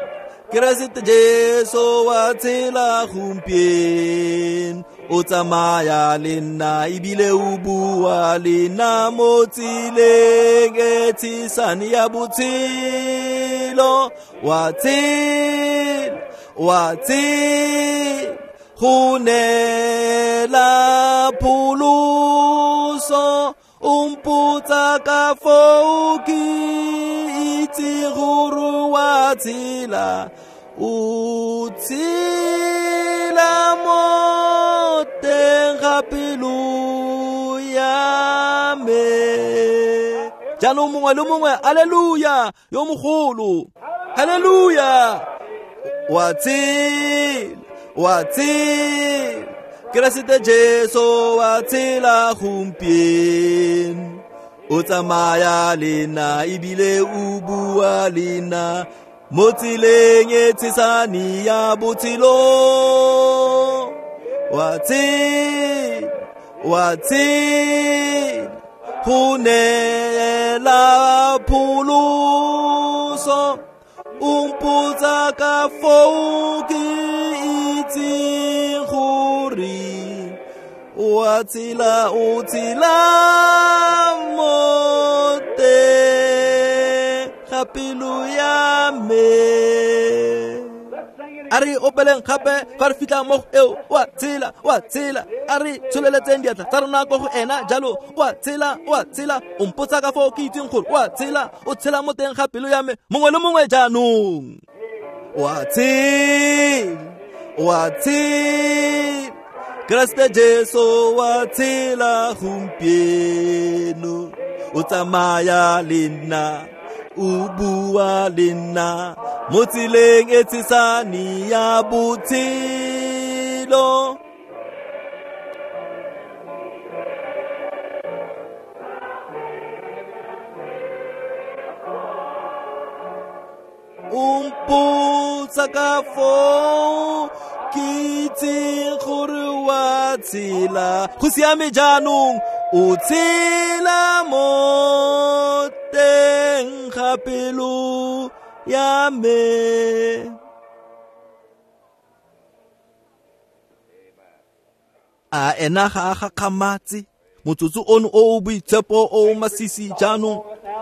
A: Keresete Jesu o a tshela gompieno. O tsamaya le nna ebile o bua le nna mo tseleng e tshesane ya botshelo. O a tshela, wa tshela, go neela pholoso, o mpotsa ka foo ke itse gore wa tshela, o tshela mo teng ga pelo ya me. Jaanong mongwe le mongwe, haleluya, yo mogolo, haleluya. Wa tshela, wa tshela, Keresete Jesu wa tshela gompieno. O tsamaya le nna ebile o bua le nna mo tseleng e tshesane ya botshelo. Wa tshela, wa tshela, go neela pholoso, o mpotsa ka foo ke itseng gore o a tshela, o tshela mo teng ga pelo ya me. A re opeleng gape fa re fitlha mo go eo, o a tshela, o a tshela. A re tsholeletseng diatla tsa rona ko go ena jalo, o a tshela, o a tshela, o mpotsa ka foo ke itseng gore o a tshela, o tshela mo teng ga pelo ya me. Mongwe le mongwe jaanong, o a tshela, o a tshela, Keresete Jesu wa tshela gompieno. O tsamaya le nna, o bua le nna mo tseleng e tshesane ya botshelo. O mpotsa ka foo ke itseng gore wa tshela. Go siame jaanong, o tshela mo teng ga pelo ya me. A ena ga a gakgamatse motsotso ono o o boitshepo o o masisi jaanong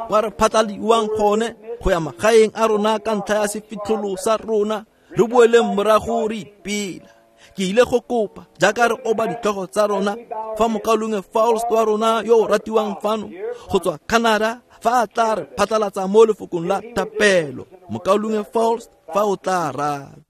A: kwa re phatlaliwang gone go ya magaeng a rona ka ntlha ya sefitlholo sa rona, re boeleng morago re ipela. Ke ile go kopa jaaka re oba ditlhogo tsa rona fa mokaulengwe Faust wa rona yo o ratiwang fano go tswa Canada fa a tla re phatlalatsa mo lefokong la thapelo. Mokaulengwe Faust, fa o tla rata.